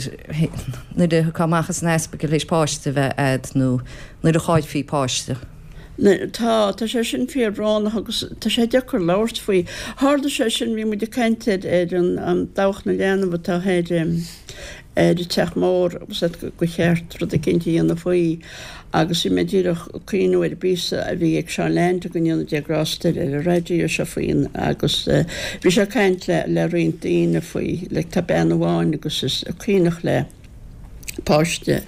nuair a thiocfá amach as an ospidéal théis páiste a bheith a'd nó nuair a chaillfí páiste. Tá, tá sé sin fíorbhrónach agus tá sé deacair labhairt faoi. Tharla sé sin, bhí muid ag caint ar ar an Dabhach na Leanbh atá ar ar an Teach Mór agus gur cheart rud eicínt a dhéanamh faoi agus bhí mé díreach ag cuimhniú ar an bpíosa a bhí ag Seán Leainde go ndéana Dia grásta air ar an raidió seo faoin agus bhí sé ag caint le le roinnt daoine faoi like tá bean amháin agus is cuimhneach léi páiste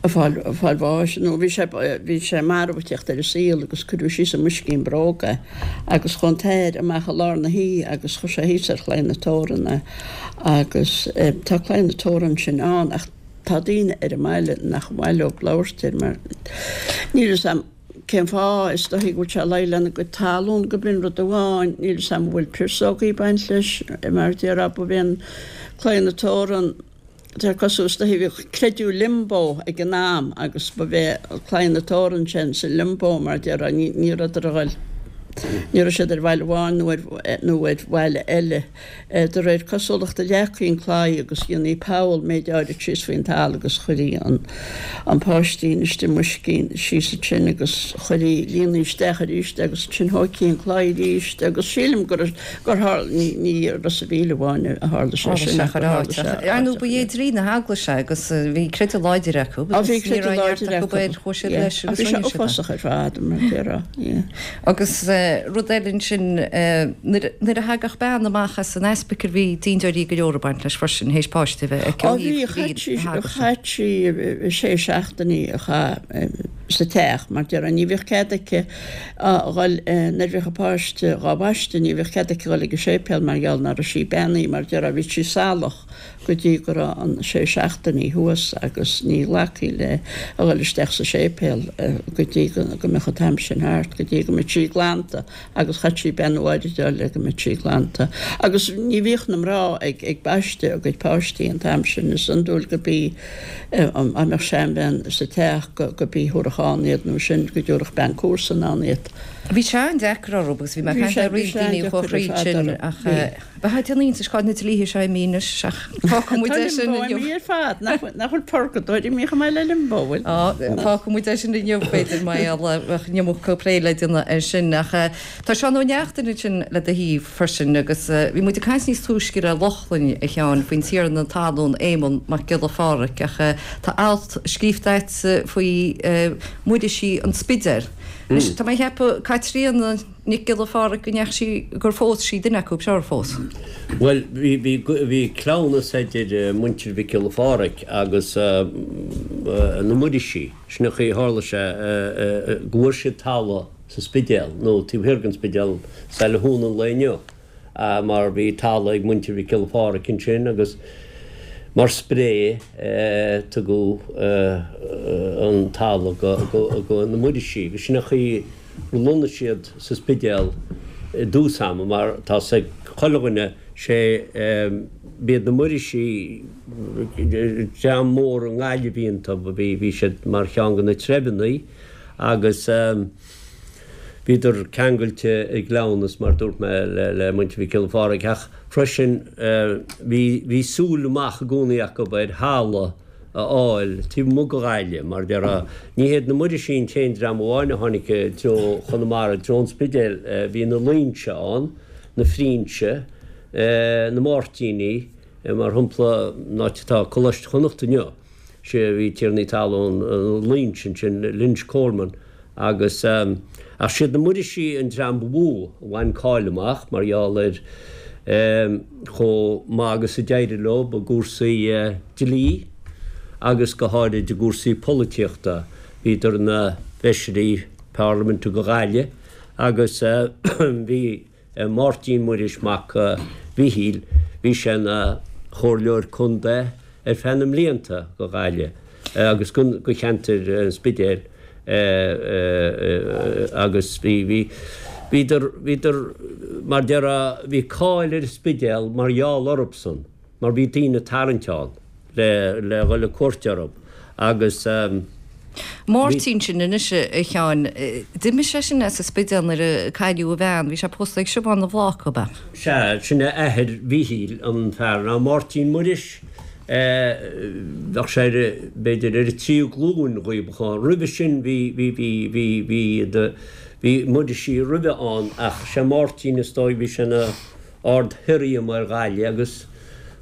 a fáil fáil bháis nó bhí sé bhí sé marbh ag teacht ar an saol agus cuireadh síos i mboiscín bróg é agus chuaigh an t-athair amach i lár na hoíche agus chuir sé thíos ar chlaí na teorann é agus tá claí na teorann sin ann ach tá daoine ar an mbaile nach maith leo labhairt air mar níl fhios a'm cén fáth, is dóichí go bhfuil sé ag luí lena gcuid talún go b'in rud amháin, níl fhios a'm an bhfuil piarsógaí ag baint leis mar déarfá ba bhí an claí na teorann Tá cosúil is dóichí bhíodh creideamh limbo ag an am agus ba bhé claí na teorann sin sa limbo mar déarfá ní ní rabhadar a ghoil ní raibh siad ar bhaile amháin nó ar nó ar bhaile eile. De réir cosúlachta leagtaí an claí agus dhéanaí poll méid áirid síos faoin talamh agus chuirí an an páistín istigh i mboiscín síos ansin agus chuirí líonaí isteach arís agus ansin thóigtí an claí arís agus sílim gur Gur tharla, ní, ní i Ros a' Mhíl amháin a tharla sé sin ach gur tharla sé Ar ndóigh, ba é dlí na heaglaise agus bhí creideamh láidir acu Á, bhí creideamh láidir acu, air, chuaigh siad leis agus rinne siad é. Bhí sé uafásach ar fad, mar a déarfá, yeah. Agus rud eile ansin, nuair, nuair a thagadh bean amach as an ospidéal bhí dindeoirí go leor ag baint leis freisin, théis páiste a bheith aici ó thaobh dlí na heaglaise. Chaith sí sé seachtainí a chaith sa teach, mar déarfá, ní bhíodh cead aici a dhul, nuair a bhíodh a páiste dhá bhaisteadh, ní bhíodh cead aici a dhul ag an séipéal mar gheall ná raibh sí beannaithe, mar déarfá, bhí sí salach go dtí go raibh an sé seachtainí thuas agus ní ghlacfaí léi a dhul isteach sa séipéal go dtí go mbeadh an t-am sin thart, go dtí go mbeadh sí glanta agus chaith sí beannú áirid a fháil le go mbeadh sí glanta. Agus ní bhíodh na mná ag ag baisteadh a gcuid páistí an t-am sin, is iondúil go bí dá mbeadh seanbhean sa teach go bí thabharfadh ann iad nó sin go dtabharfadh bean comharsan ann iad. Bhí sé an-deacair orthu agus bhí mé ag caint le roinnt daoine a chuaigh thríd sin ach bheifeá ag déanamh iontais cá bhfuil na dlíthe seo imithe anois ach fágfaidh muid é sin inniu. Tá limbo imithe ar fad, nach bhfuil purgadóir imithe chomh maith le limbo, bhfuil? Fágfaidh muid é sin inniu b'fhéidir mar gheall bheadh an iomarca plé le déanamh air sin ach tá Seán Ó Neachtain ansin le do thaobh freisin agus bhí muid ag caint níos túisce le Lochlainn, a Sheáin, faoin tiarna talún Éamonn Mac Giolla Pháraic ach tá alt scríofa agat faoi Muirisí an Spidéil. Anois tá mé ag ceapadh Caitríona Nic Giolla Pháraic go ndeachaigh sí, gur phós sí duine acu seo ar phós. Bhuel bhí, bhí, bhí cleamhnas idir muintir Mhic Giolla Pháraic agus na Muirisí. Sin an chaoi a tharla sé go bhfuair siad talamh sa Spidéal, nó taobh thiar den Spidéal, Saile Thúna an lae inniu, mar bhí talamh ag muintir Mhic Giolla Pháraic ansin agus mar spré tugadh an talamh go na Muirisí agus sin an chaoi gur lonnaigh siad sa Spidéal i dtús ama mar tá 's ag chuile dhuine sé. B'iad na Muirísigh dream mór i nGaillimh a bhí iontu, bhí siad mar cheann de na treibheanna agus bhíodar ceangailte i gcleamhnas, mar a dúirt mé, le muintir Mhic Giolla Phádraig. Ach freisin bhí súil amach i gcónaí acu ar thalamh a fháil taobh amuigh de Ghaillimh, mar a déarfá. Ní hiad na Muirísigh an t-aon dream amháin a tháinig i dtreo Chonamara, i dtreo an Spidéil. Bhí na Loingsigh ann, na Frinse, na Máirtínigh, mar shampla, an áit atá Coláiste Chonnacht inniu, sé a bhí tiarnaí talún na Loingsigh ansin, Lynch Coleman, agus, ach siad na Muirísigh an dream ba mhó a bhain cáil amach mar gheall ar chomh maith agus a d'éirigh leo i gcúrsaí dlí agus go háirid i gcúrsaí polaitíochta. Bhíodar ina bhfeisirí parlaiminte do Ghaillimh agus bhí. Máirtín Muiris mac Mhichíl, bhí sé ina chomhairleoir contae ar feadh na mblianta do Ghaillimh agus do cheantar an Spidéil agus bhí, bhí, bhíodar, bhíodar, mar déarfá, bhí cáil ar an Spidéal mar gheall orthusan. mar bhí daoine ag tarraingt ann le le dhul ag cuairt orthu agus bhí. Máirtín sin anois a Sheáin, d'imigh sé sin as an Spidéal nuair a cailleadh a bhean, bhí sé pósta ag Siobhán na bhFláca, ab ea? Sea, sin é athair Mhichíl, an fear ná Máirtín Muiris, bheadh sé ar, b'fhéidir ar an tríú glúin dhíobh. Roimhe sin bhí, bhí, bhí, bhí, bhí, bhí Muirisí roimhe ann ach sé Máirtín is dóigh, bhí sé ina Ard-Shirriam ar Ghaillimh agus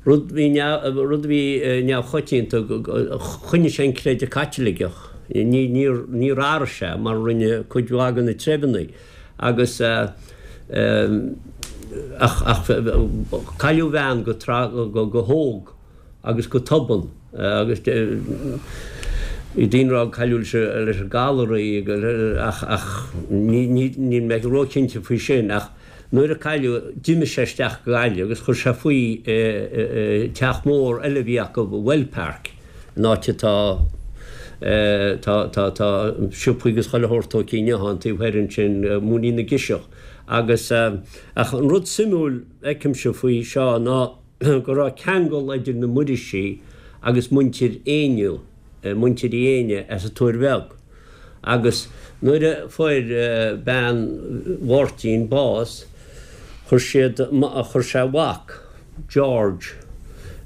rud bhí rud a bhí neamhchoitianta, choinnigh sé an creideamh Caitliceach, ní níor níor athraigh sé mar a rinne cuid mhaith de na treibheanna agus ach ach cailleadh a bhean go go go hóg agus go tobann agus bhí daoine ag rá cailleadh leis an gcalar í ach ach ní ní níl mé róchinnte faoi sin ach Nuair a cailleadh d'imigh sé isteach go Gaillimh agus chuir sé faoi i teach mór eile a bhí acu i Wellpark, an áit atá tá tá tá siopaí agus chuile shórt tógtha inniu ann taobh thoir ansin, Múinín na gCiseach. Agus ach an rud suimiúil a fheicimse faoi seo ná go raibh ceangal idir na Muirísigh agus muintir Éinniú, muintir Uí Éinne as an Tuair Bheag. Agus nuair a fuair bean Mháirtín bás, chuir siad, chuir sé a mhac, George,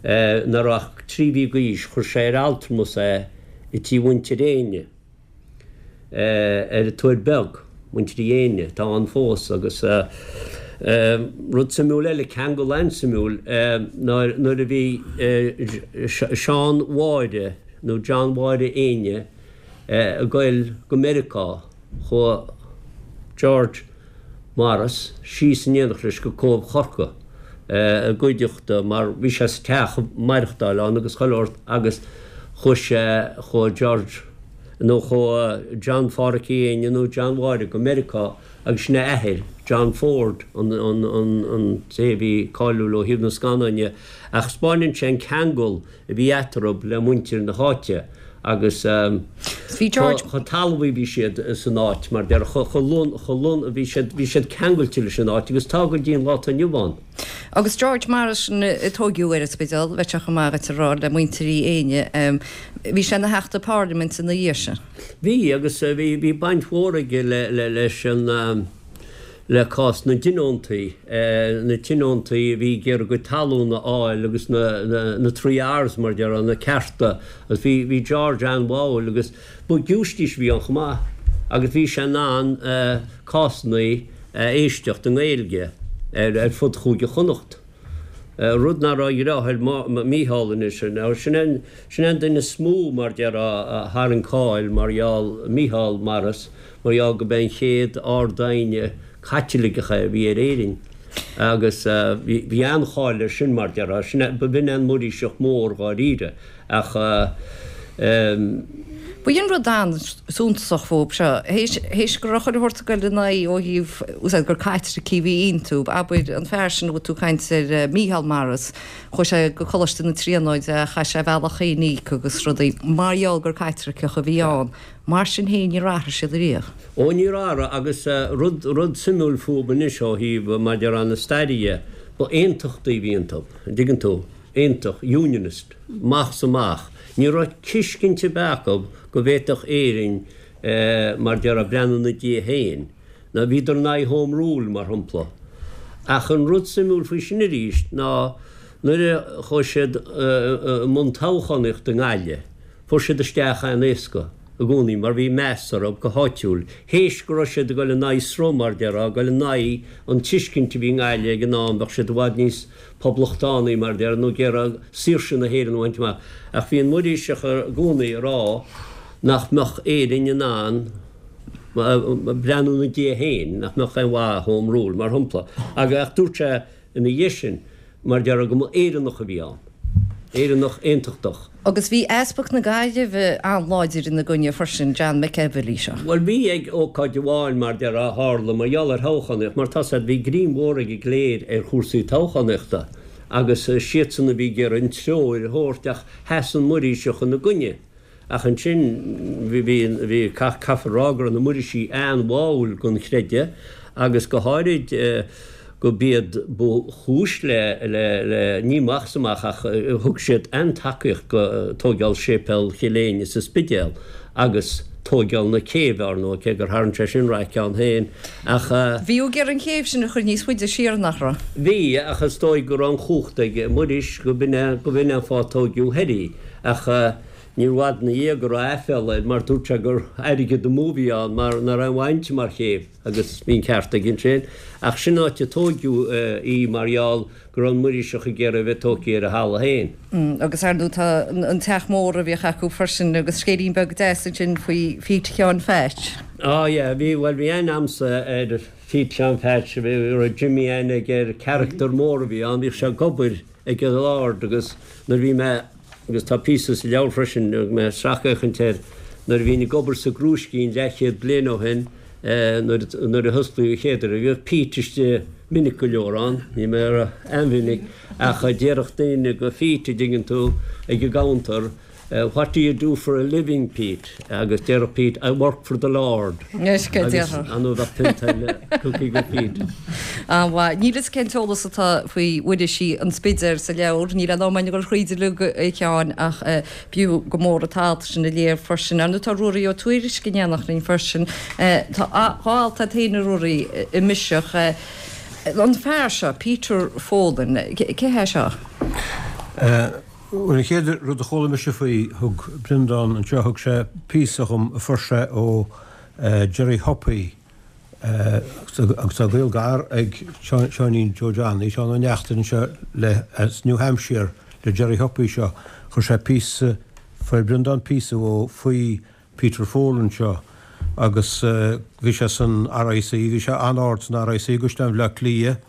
ná raibh ach 3 mhí d'aois, chuir sé ar altramas é i tí mhuintir Éinne, ar an Tuair Bheag, muintir Uí Éinne, atá ann fós. Agus rud suimiúil eile, ceangal an-suimiúil, nuair a bhí Seán Mháire, nó John Mháire Éinne, ag goil go Meiriceá, chuaigh George Morris síos in éineacht leis go Cóbh Chorcaí i gcuideachta mar bhí sé sa teach ag maireachtáil ann agus chuile shórt agus chuaigh sé, chuaigh George nó chuaigh John Pháraic Uí Éinne nó John Mháire go Meiriceá agus sin é a athair, John Ford, an an té a bhí cáiliúil ó thaobh na scannáin dhe ach 'spáineann sé an ceangal a bhí eatarthu le muintir na háite agus chomh talmhaí a bhí siad san áit, mar déarfá, chomh lon, bhí siad, bhí siad ceangailte leis an áit agus tá go dtí an lá atá inniu ann. Agus George Morris a tóigeadh ar an Spidéal, bheadh sé chomh maith dhuit a rá le muintir Uí Éinne, bhí sé ina theachta parlaiminte ina dhiaidh sin. Bhí, agus bhí, bhí baint mhór aige le, le, leis an. le cás na dtionóntaí, na tionóntaí a bhí ag iarraidh a gcuid talún a fháil agus na, na, na 3 Rs mar a déarfá, na cearta agus bhí, bhí George an-bháúil agus ba giúistís a bhí ann chomh maith agus bhí sé in ann cásanna a éisteacht i nGaeilge ar, ar fud Chúige Chonnacht. Rud nach raibh a dheartháir Mícheál anois, sin é an, sin é an duine is mó mar a déarfá a tharraing cáil mar gheall, Mícheál Morris, mar gheall go b'é an chéad Ard-Aighne Caitliceach é a bhí ar Éirinn agus bhí an-cháil air sin mar déarfá. Sin é, b'in é an Muiríseach mór dháiríre ach. Ba é an rud an-suntasach fúb seo, théis, théis go raibh chuile shórt ag goil ina aghaidh ó thaobh, úsáid gur Caitlicigh a bhí iontu, abair, an fear sin a bhfuil tú ag caint air, Mícheál Morris, chuaigh sé go Coláiste na Tríonóide, chaith sé a bhealach féin a íoc agus rudaí, mar gheall gur Caitliceach a bhí ann. Mar sin féin, níor athraigh siad ariamh. Ó, níor athraigh, agus rud, rud suimiúil fúb anois ó thaobh, mar a déarfá, na staire dhe, ba aontachtaí a bhí iontu, an dtuigeann tú. Aontach, Unionist, amach is amach. Ní raibh tuiscint ar bith acu go bhféadfadh Éirinn, mar déarfá, breathnú ina diaidh féin. Ná bhíodar in aghaidh Home Rule, mar shampla. Ach an rud suimiúil faoi sin arís ná nuair a chuaigh siad i mbun toghchánaíochta i nGaillimh, fuair siad isteach an-éasca i gcónaí mar bhí meas orthu go háitiúil. Théis go raibh siad ag dul in aghaidh sruth, mar déarfá, ag dul in aghaidh an tuiscint a bhí i nGaillimh ag an am, bheadh siad i bhfad níos poblachtánaí, mar déarfá, nó ag iarraidh saoirse na hÉireann a bhaint amach. Ach bhí an Muiríseach i gcónaí ag rá nach mbeadh Éirinn in ann breathnú ina diaidh féin, nach mbeadh aon mhaith i Home Rule, mar shampla. Ach dúirt sé ina dhiaidh sin, mar déarfá, go mba Éireannach a bhí ann. Éireannach aontachtach. Agus bhí Easpag na Gaillimhe an-láidir ina gcoinne freisin, John McEvilly seo. Bhuel, bhí ag ócáid amháin, mar déarfá, a tharla mar gheall ar thoghchánaíocht, mar tá 's a'd, bhí greim mhór ag an gcléir ar chúrsaí toghchánaíochta agus siadsan a bhí ag iarraidh an treoir a thabhairt ach sheas an Muiríseach ina gcoinne. Ach ansin, bhí, bhí, bhí, caithfear a rá go raibh na Muirísigh an-bháúil don chreideamh agus go háirid go b'iad ba chúis le, le, le, ní amach is amach ach thug siad an-tacaíocht go tóigeáil Séipéal Chill Éinne sa Spidéal agus tóigeáil na céibhe, ár ndóigh, cé gur tharraing sé sin raic ann féin ach. Bhí ag iarraidh an chéibh sin a chur níos faide siar, nach raibh? Bhí, ach is dóigh go raibh an chumhacht ag Muiris go b'in é, go b'in é an fáth a tóigeadh thoir í. Ach níor bhfad ina dhiaidh go raibh aiféala air mar dúirt sé gur airgead amú a bhí ann mar nach raibh aon mhaith inti mar chéibh agus bhí an ceart aige ansin. Ach sin an áit a tóigeadh í mar gheall go raibh an Muiríseach ag iarraidh a bheith tógtha ar a thalamh féin. Agus ar ndóigh tá an teach mór a bhíodh acu freisin agus scéilín beag deas ansin faoi Phete Sheáin Pheait. Á yeah, bhí, bhuel bhí aithne a'msa ar Phete Sheáin Pheait, bhí, raibh Jimmy aithne aige air, carachtar mór a bhí ann, bhíodh sé ag obair ag an Lord agus nuair a bhí mé, agus tá píosa sa leabhar freisin, a thug mé sracfhéachaint air, nuair a bhínn ag obair sa gCrúiscín leathchéad bliain ó shin, nuair, nuair a hosclaíodh an chéad uair, bhíodh Pete istigh minic go leor ann, níl mé a rá an-mhinic, ach déarfadh daoine go Phete, a dtuigeann tú, ag an gcounter, What do you do for a living, Pete? Agus déarfadh Pete, I work for the Lord. Agus an bheadh pionta eile tugtha go Pete. An-mhaith. Níl fhios cén t-eolas atá faoi Mhuirísigh an Spidéil sa leabhar. Níl aon am againn a dhul thríd uilig, a Sheáin, ach b'fhiú go mór an t-alt sin a léamh freisin. Ar ndóigh tá Ruairí Ó Tuairisg in éineacht linn freisin. Tá dhá alt agat féin, a Ruairí, i Miseach. An fear seo, Peter Folan, cé hé seo? Bhuel, an chéad rud a chuala mise faoi, thug Breandán anseo, thug sé píosa dhom a fuair sé ó Gerry Hoppy, agus tá gaol gar ag Seáinín Joe Johnny, Seán Ó Neachtain anseo le, as New Hampshire, le Gerry Hoppy seo. Chuir sé píosa, fuair Breandán píosa ó faoi Peter Folan seo agus bhí sé san RIC, bhí sé an-ard san RIC i gCaisleán Bhaile Átha Cliath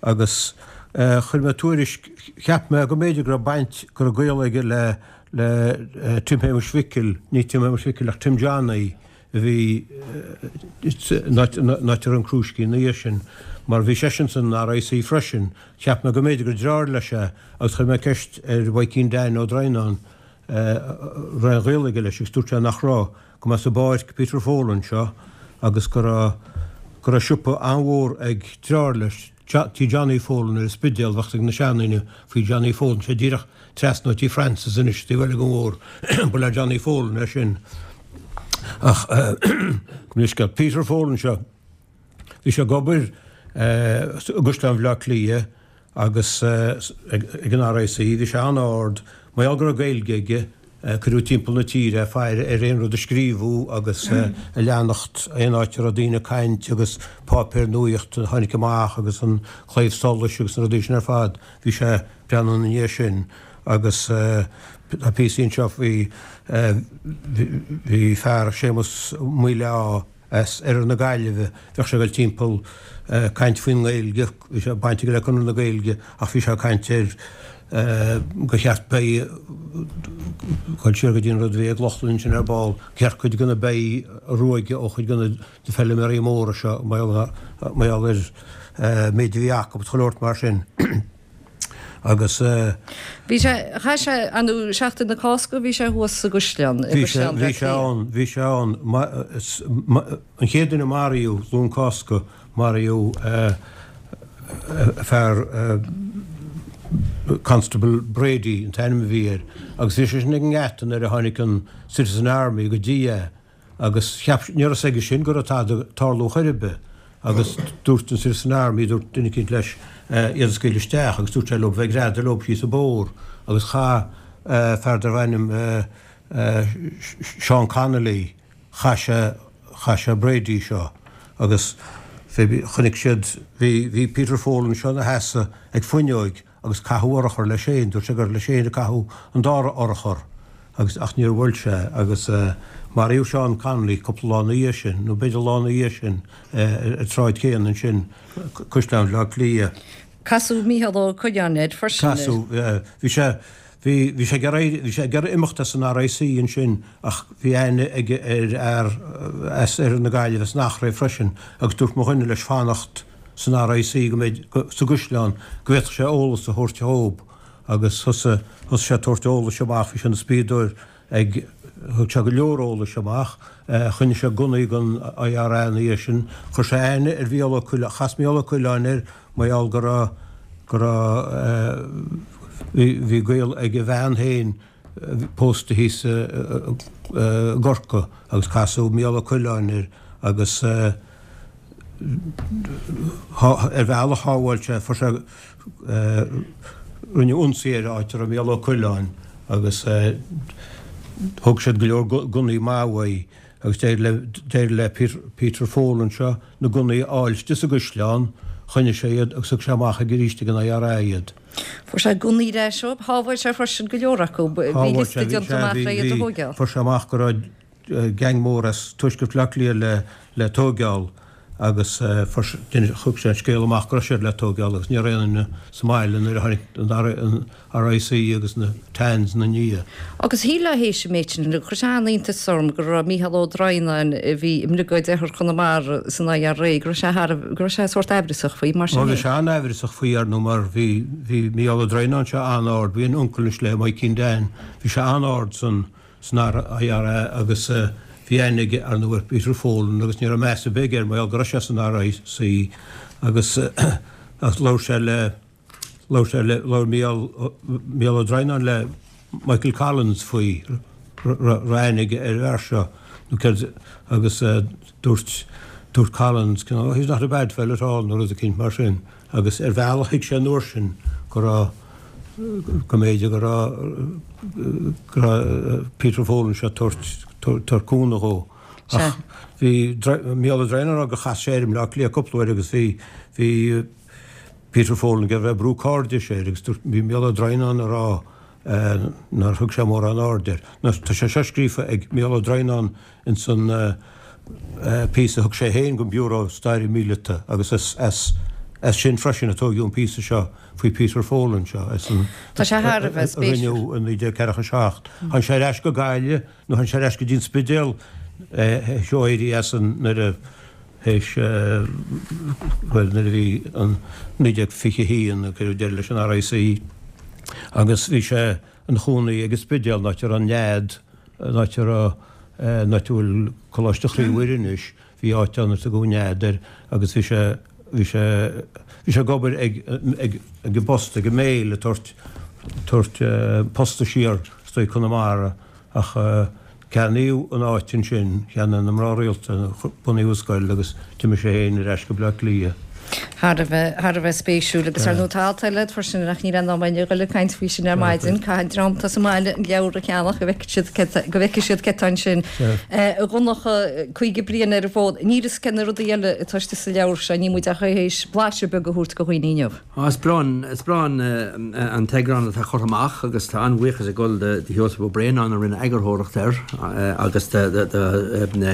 agus chuir mé tuairisc, cheap mé go mb'fhéidir go raibh baint, go raibh gaol aige le le Tim Shéamuis Mhicil, ní Tim Shéamuis Mhicil ach Tim Johnny a bhí an áit a raibh an Crúiscín ina dhiaidh sin mar bhí seisean san RIC freisin, cheap mé go mb'fhéidir gur deartháir leis é agus chuir mé ceist ar Mhaidhcín Dan Ó Droighneáin raibh aon ghaol aige leis agus dúirt sé nach raibh, go mba as an bPáirc Peter Folan seo agus go raibh, go raibh siopa an-mhór ag deartháir leis, tí Johnny Folan ar an Spidéal, bheadh ag na seandaoine faoi Johnny Folan, sé díreach trasna ó tí Francis anois, taobh eile den bhóthar, ba le Johnny Folan é sin. Ach, go mb'scéal Peter Folan seo. Bhí sé ag obair i gCaisleán Bhaile Átha Cliath agus ag an RIC. Bhí sé an-ard. Mar gheall go raibh Gaeilge aige, cuireadh timpeall na tíre é ag faire ar aon rud a scríobhadh agus a leanacht aon áit a raibh daoine ag caint agus páipéir nuaíochta a tháinig amach agus an Claidheamh Soluis agus na rudaí sin ar fad. Bhí sé ag breathnú ina dhiaidh sin agus tá píosaí anseo faoi bhí fear, Séamus Maoileá, as oirthear na Gaillimhe. Bheadh sé ag dul timpeall ag caint faoin nGaeilge, bhí sé baint aige le Conradh na Gaeilge ach bhí sé ag caint ar gur cheart beithígh dul siar go dtí an rud a bhí ag Lochlainn ansin ar ball, gur cheart cuid de na beithígh a ruaigeadh ó chuid de na feilméaraí móra seo mar gheall ar méid a bhí acu agus chuile shórt mar sin. Agus. Bhí sé, chaith sé, ar ndóigh, Seachtain na Cásca, bhí sé thuas sa gCaisleán, i gCaisleán Bhaile Átha Cliath. Bhí sé ann, bhí sé ann. An chéad duine a maraíodh, Luan Cásca, maraíodh fear. Constable Brady an t-ainm a bhí air agus bhí sé sin ag an ngeata nuair a tháinig an Citizen Army go dtí é agus cheap, ní raibh fhios aige sin go raibh tada ag tarlú chor ar bith agus dúirt an Citizen Army, dúirt duine eicínt leis iad a scaoileadh isteach agus dúirt sé leo bheith ag greadadh leo síos an bóthar agus chaith fear darbh ainm Seán Connolly, chaith sé, chaith sé Brady seo agus chonaic siad, bhí, bhí Peter Folan seo ina sheasamh ag fuinneoig agus caitheadh urchar leis féin, dúirt sé gur leis féin a caitheadh an dara urchar agus, ach níor bhuail sé agus maraíodh Seán Connolly cúpla lá ina dhiaidh sin, nó b'fhéidir lá ina dhiaidh sin ar an tsráid chéanna ansin, Caisleán Bhaile Átha Cliath. Casadh Mícheál Ó Coileáin air freisin. Casadh, bhí sé, bhí, bhí sé ag iarraidh, bhí sé ag iarraidh imeacht as an RIC ansin ach bhí aithne aige ar fhear as oirthear na Gaillimhe, as an Achréidh freisin agus dúirt mo dhuine leis fanacht san RIC go mbeidh, sa gCaisleán, go bhféadfadh sé eolas a thabhairt dhób agus thosaigh, thosaigh sé ag tabhairt eolais amach, bhí sé ina spiadóir ag, thug sé go leor eolais amach, choinnigh sé gunnaí don IRA ina dhiaidh sin, chuir sé aithne ar Mhícheál Ó Coileáin, chas Mícheál Ó Coileáin air mar gheall go raibh, go raibh, bhí, bhí gaol ag a bhean féin pósta thíos i gCorcaigh agus casadh Mícheál Ó Coileáin air agus ar bhealach shábháil sé, fuair sé, rinneadh ionsaí ar áit a raibh Mícheál Ó Coileáin agus thóg siad go leor gunnaí maith uaidh agus d'éirigh le Peter Folan seo na gunnaí a fháil istigh sa gcaisleán, choinnigh sé iad agus thug sé amach arís ag an IRA iad. Fuair sé gunnaí ar ais ó, shábháil sé freisin go leor acu, bhí liosta déanta amach le iad a thóigeáil. Fuair sé amach go raibh gang mór as tuaisceart Bhaile Átha Cliath le tóigeáil agus thug sé an scéal amach go raibh siad le tóigeáil agus ní raibh aon duine sa mbaile nuair a tháinig an RIC agus na Tans ina ndiaidh. Agus shílfeá théis an méid sin, chuir sé an-iontas orm go raibh Mícheál Ó Droighneáin, a bhí i mBriogáid Oirthear Chonamara san IRA, go raibh sé thar, go raibh sé sórt aimhreasach faoi, mar sin féin. Bhí sé an-aimhreasach faoi, ar ndóigh, mar bhí, bhí Mícheál Ó Droighneáin seo an-ard, bhí an uncail anois le Maidhcín Dan, bhí sé an-ard san, san IRA agus bhí aithne aige ar ndóigh ar Peter Folan agus ní raibh meas ar bith aige air mar gheall go raibh sé san RIC agus labhair sé le labhair sé le labhair Mícheál Mícheál Ó Droighneáin le Michael Collins faoi raibh aithne aige ar an bhfear seo nó céard agus dúirt dúirt Collins you know he's not a bad fellow at all nó rud eicínt mar sin. Agus ar bhealach thuig sé an uair sin go raibh, go mb'fhéidir go raibh, go raibh Peter Folan seo ag tabhairt, tabhairt cúnamh dhó. Ach bhí Mícheál Ó Droighneáin ag rá gur chas sé air i mBleá Cliath cúpla uair agus bhí, bhí Peter Folan ag iarraidh bheith ag brú cairdis air agus dúirt, bhí Mícheál Ó Droighneáin ag rá nár thug sé mórán aird air. Tá sé seo scríofa ag Mícheál Ó Droighneáin Ins an píosa a thug sé féin don Bhiúró Staire Míleata agus as as sin freisin a tóigeadh an píosa seo faoi Peter Folan seo as an Tá sé thar a bheith a rinneadh i 1947. Tháinig sé ar ais go Gaillimh nó tháinig sé ar ais go dtí an Spidéal théis dó éirí as an nuair a théis bhuel nuair a bhí an 1921 a cuireadh deireadh leis an RIC agus bhí sé ina chónaí ag an Spidéal, an áit a raibh an Nead, an áit a raibh, an áit a bhfuil Coláiste Chroí Mhuire anois, bhí áit ann ar tugadh an Nead air agus bhí sé, bhí sé, bhí sé ag obair ag, ag, ag an bpost, ag an Mail, ag tabhairt, tabhairt posta siar is dóigh Conamara ach ceannaíodh an áit ansin, cheannaigh na mná rialta, bunaíodh an scoil agus d'imigh sé féin ar ais go Bleá Cliath. Thar a bheith, thar a bheith spéisiúil agus ar ndóigh tá alt eile agat freisin ach níl aon am againn a dhul ag caint faoi sin ar maidin. Caithfidh an dream atá sa mbaile an leabhar a cheannach go bhfeicfidh siad cé tá, go bhfeicfidh siad cé tá ansin. A Dhonncha, 50 bliain ar an bhfód, níl fhios cé na rudaí eile atá istigh sa leabhar seo, níl muid ach théis blaiseadh beag a thabhairt do dhaoine inniu. Á, is breá an, is breá an, an t-eagrán atá curtha amach agus tá an-bhuíochas ag dul do Sheosamh Ó Braonáin a rinne eagarthóireacht air agus do, do, do na,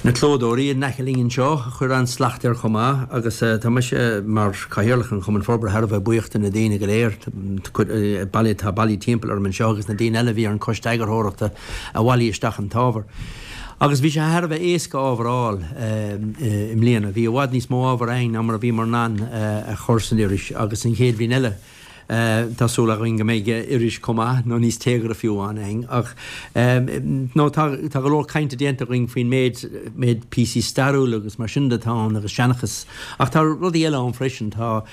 na clódóirí in aice linn anseo a chuir an-slacht air chomh maith agus tá mise mar Chathaoirleach an Chumainn Forbartha thar a bheith buíoch de na daoine go léir atá bailithe timpeall orm anseo agus na daoine eile a bhí ar an choiste eagarthóireachta a bhailigh isteach an t-ábhar. Agus bhí sé thar a bheith éasca ábhar a fháil i mbliana. Bhí i bhfad níos mó ábhair againn ná mar a bhíomar in ann a chur san iris agus an chéad bhliain eile tá súil againn go mbeidh iris chomh maith nó níos téagartha fiú ann againn. Ach nó tá tá go leor cainte déanta againn faoin méid méid píosaí stairiúla agus mar sin de atá ann agus seanchas. Ach tá rudaí eile ann freisin. Tá.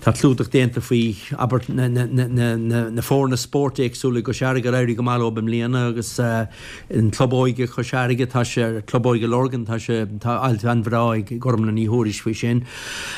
Tá clúdach déanta faoi, abair, na foirne spóirt éagsúla i gCois Fharraige ar éirigh go maith leo i mbliana agus an Club Óige Chois Fharraige, tá sé, Club Óige Lurgan, tá sé, tá alt an-bhreá ag Gormlaith Ní Thuairisg faoi sin.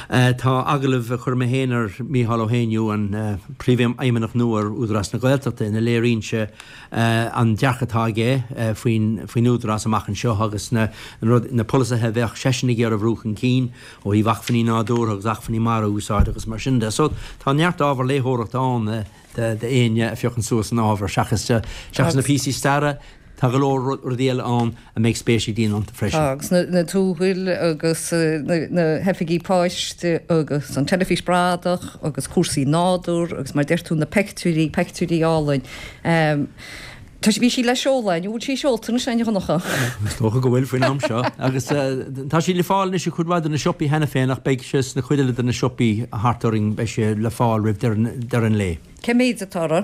Tá agallamh a chuir mé féin ar Mhícheál Ó hÉinniú, an Príomhfheidhmeannach nua ar Údarás na Gaeltachta, ina léiríonn sé an dearcadh atá aige faoin faoin Údarás amach anseo agus na na polasaithe a bheadh seisean ag iarraidh a bhrú chun cinn. ó thaobh acmhainní nádúrtha agus acmhainní mara a úsáid agus mar sin de. So tá neart ábhar léitheoireachta ann d'éinne a phiocann suas an ábhar seachas seachas na píosaí staire, tá go leor rudaí eile ann a mbeidh spéis ag daoine iontu freisin. Tá, agus na tuathail agus na hoifigí poist agus an teilifís bradach agus cúrsaí nádúr agus mar deir tú na peictiúirí, peictiúirí álainn. Tá sí, bhí sí le seoladh, an bhfuil sí seolta anois, a Dhonncha? Is dócha go bhfuil faoin am seo. Agus tá sí le fáil anois i cuid mhaith de na siopaí cheana féin ach beidh sé sna cuid eile de na siopaí thart orainn, beidh sé le fáil roimh deireadh an lae. Cé méid atá uirthi?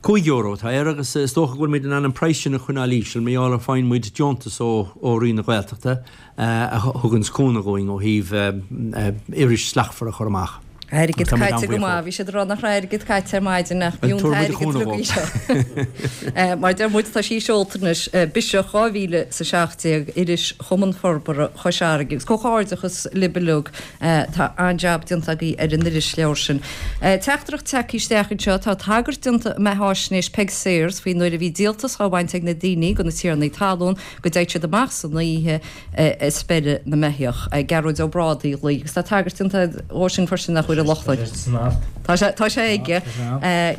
€5 atá air agus is dócha go bhfuil muid in ann an praghas sin a choinneáil íseal mar gheall ar faigheann muid deontas ó Roinn na Gaeltachta a thuganns cúnamh dhúinn ó thaobh iris slachtmhar a chur amach. Airgead caite go maith. Bhí siad ag rá nach raibh airgead caite ar maidin ach b'fhiú an t-airgead rugaí seo. Mar deir muid, tá sí seolta anois, Biseach 2017, iris Chumann Forbartha Chois Fharraige. Agus comhghairdeachas libh uilig, tá an-jab déanta agaibh ar an irisleabhar sin. Teachtaireacht tagtha isteach anseo, tá tagairt déanta i mbeatháisnéis Peig Sayers faoi nuair a bhí díoltas á bhaint ag na daoine de na tiarnaí talún go dtéadh siad amach san oíche ag speireadh na mbeithíoch. Gearóid Ó Brádaigh a ghlaoigh agus tá tagairt déanta dhó sin freisin nach bhfuil a Lochlainn. Tá sé tá sé aige.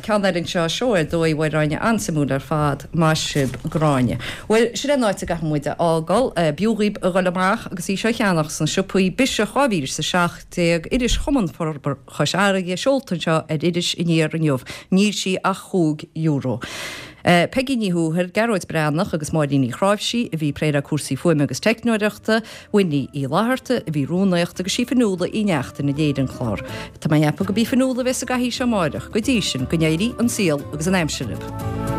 Ceann eile anseo, seó ar dóigh a Mháire Áine, an-suimiúil ar fad. Maith sibh Gráinne. Bhuel, sin é an áit a gcaithfidh muid a fhágáil. B'fhiú dhaoib a dhul amach agus í seo a cheannach sna siopaí. Biseach 2017, iris Chumann Forbartha Chois Fharraige, seolta anseo ar Iris Aniar inniu. Níl sí ach chúig euro. Peigí Ní Thuathail, Gearóid Breathnach agus Máirín Ní Chráimhsí a bhí ag plé le cúrsaí fuaime agus teicneoireachta, Winnie Uí Fhlatharta a bhí rúnaíocht agus sí Fionnuala Uí Neachtain a léirigh an clár. Tá mé ag ceapadh go b'í Fionnuala a bheas sa gcathaoir seo amáireach. Go dtí sin, go n-éirí an saol agus an aimsir libh.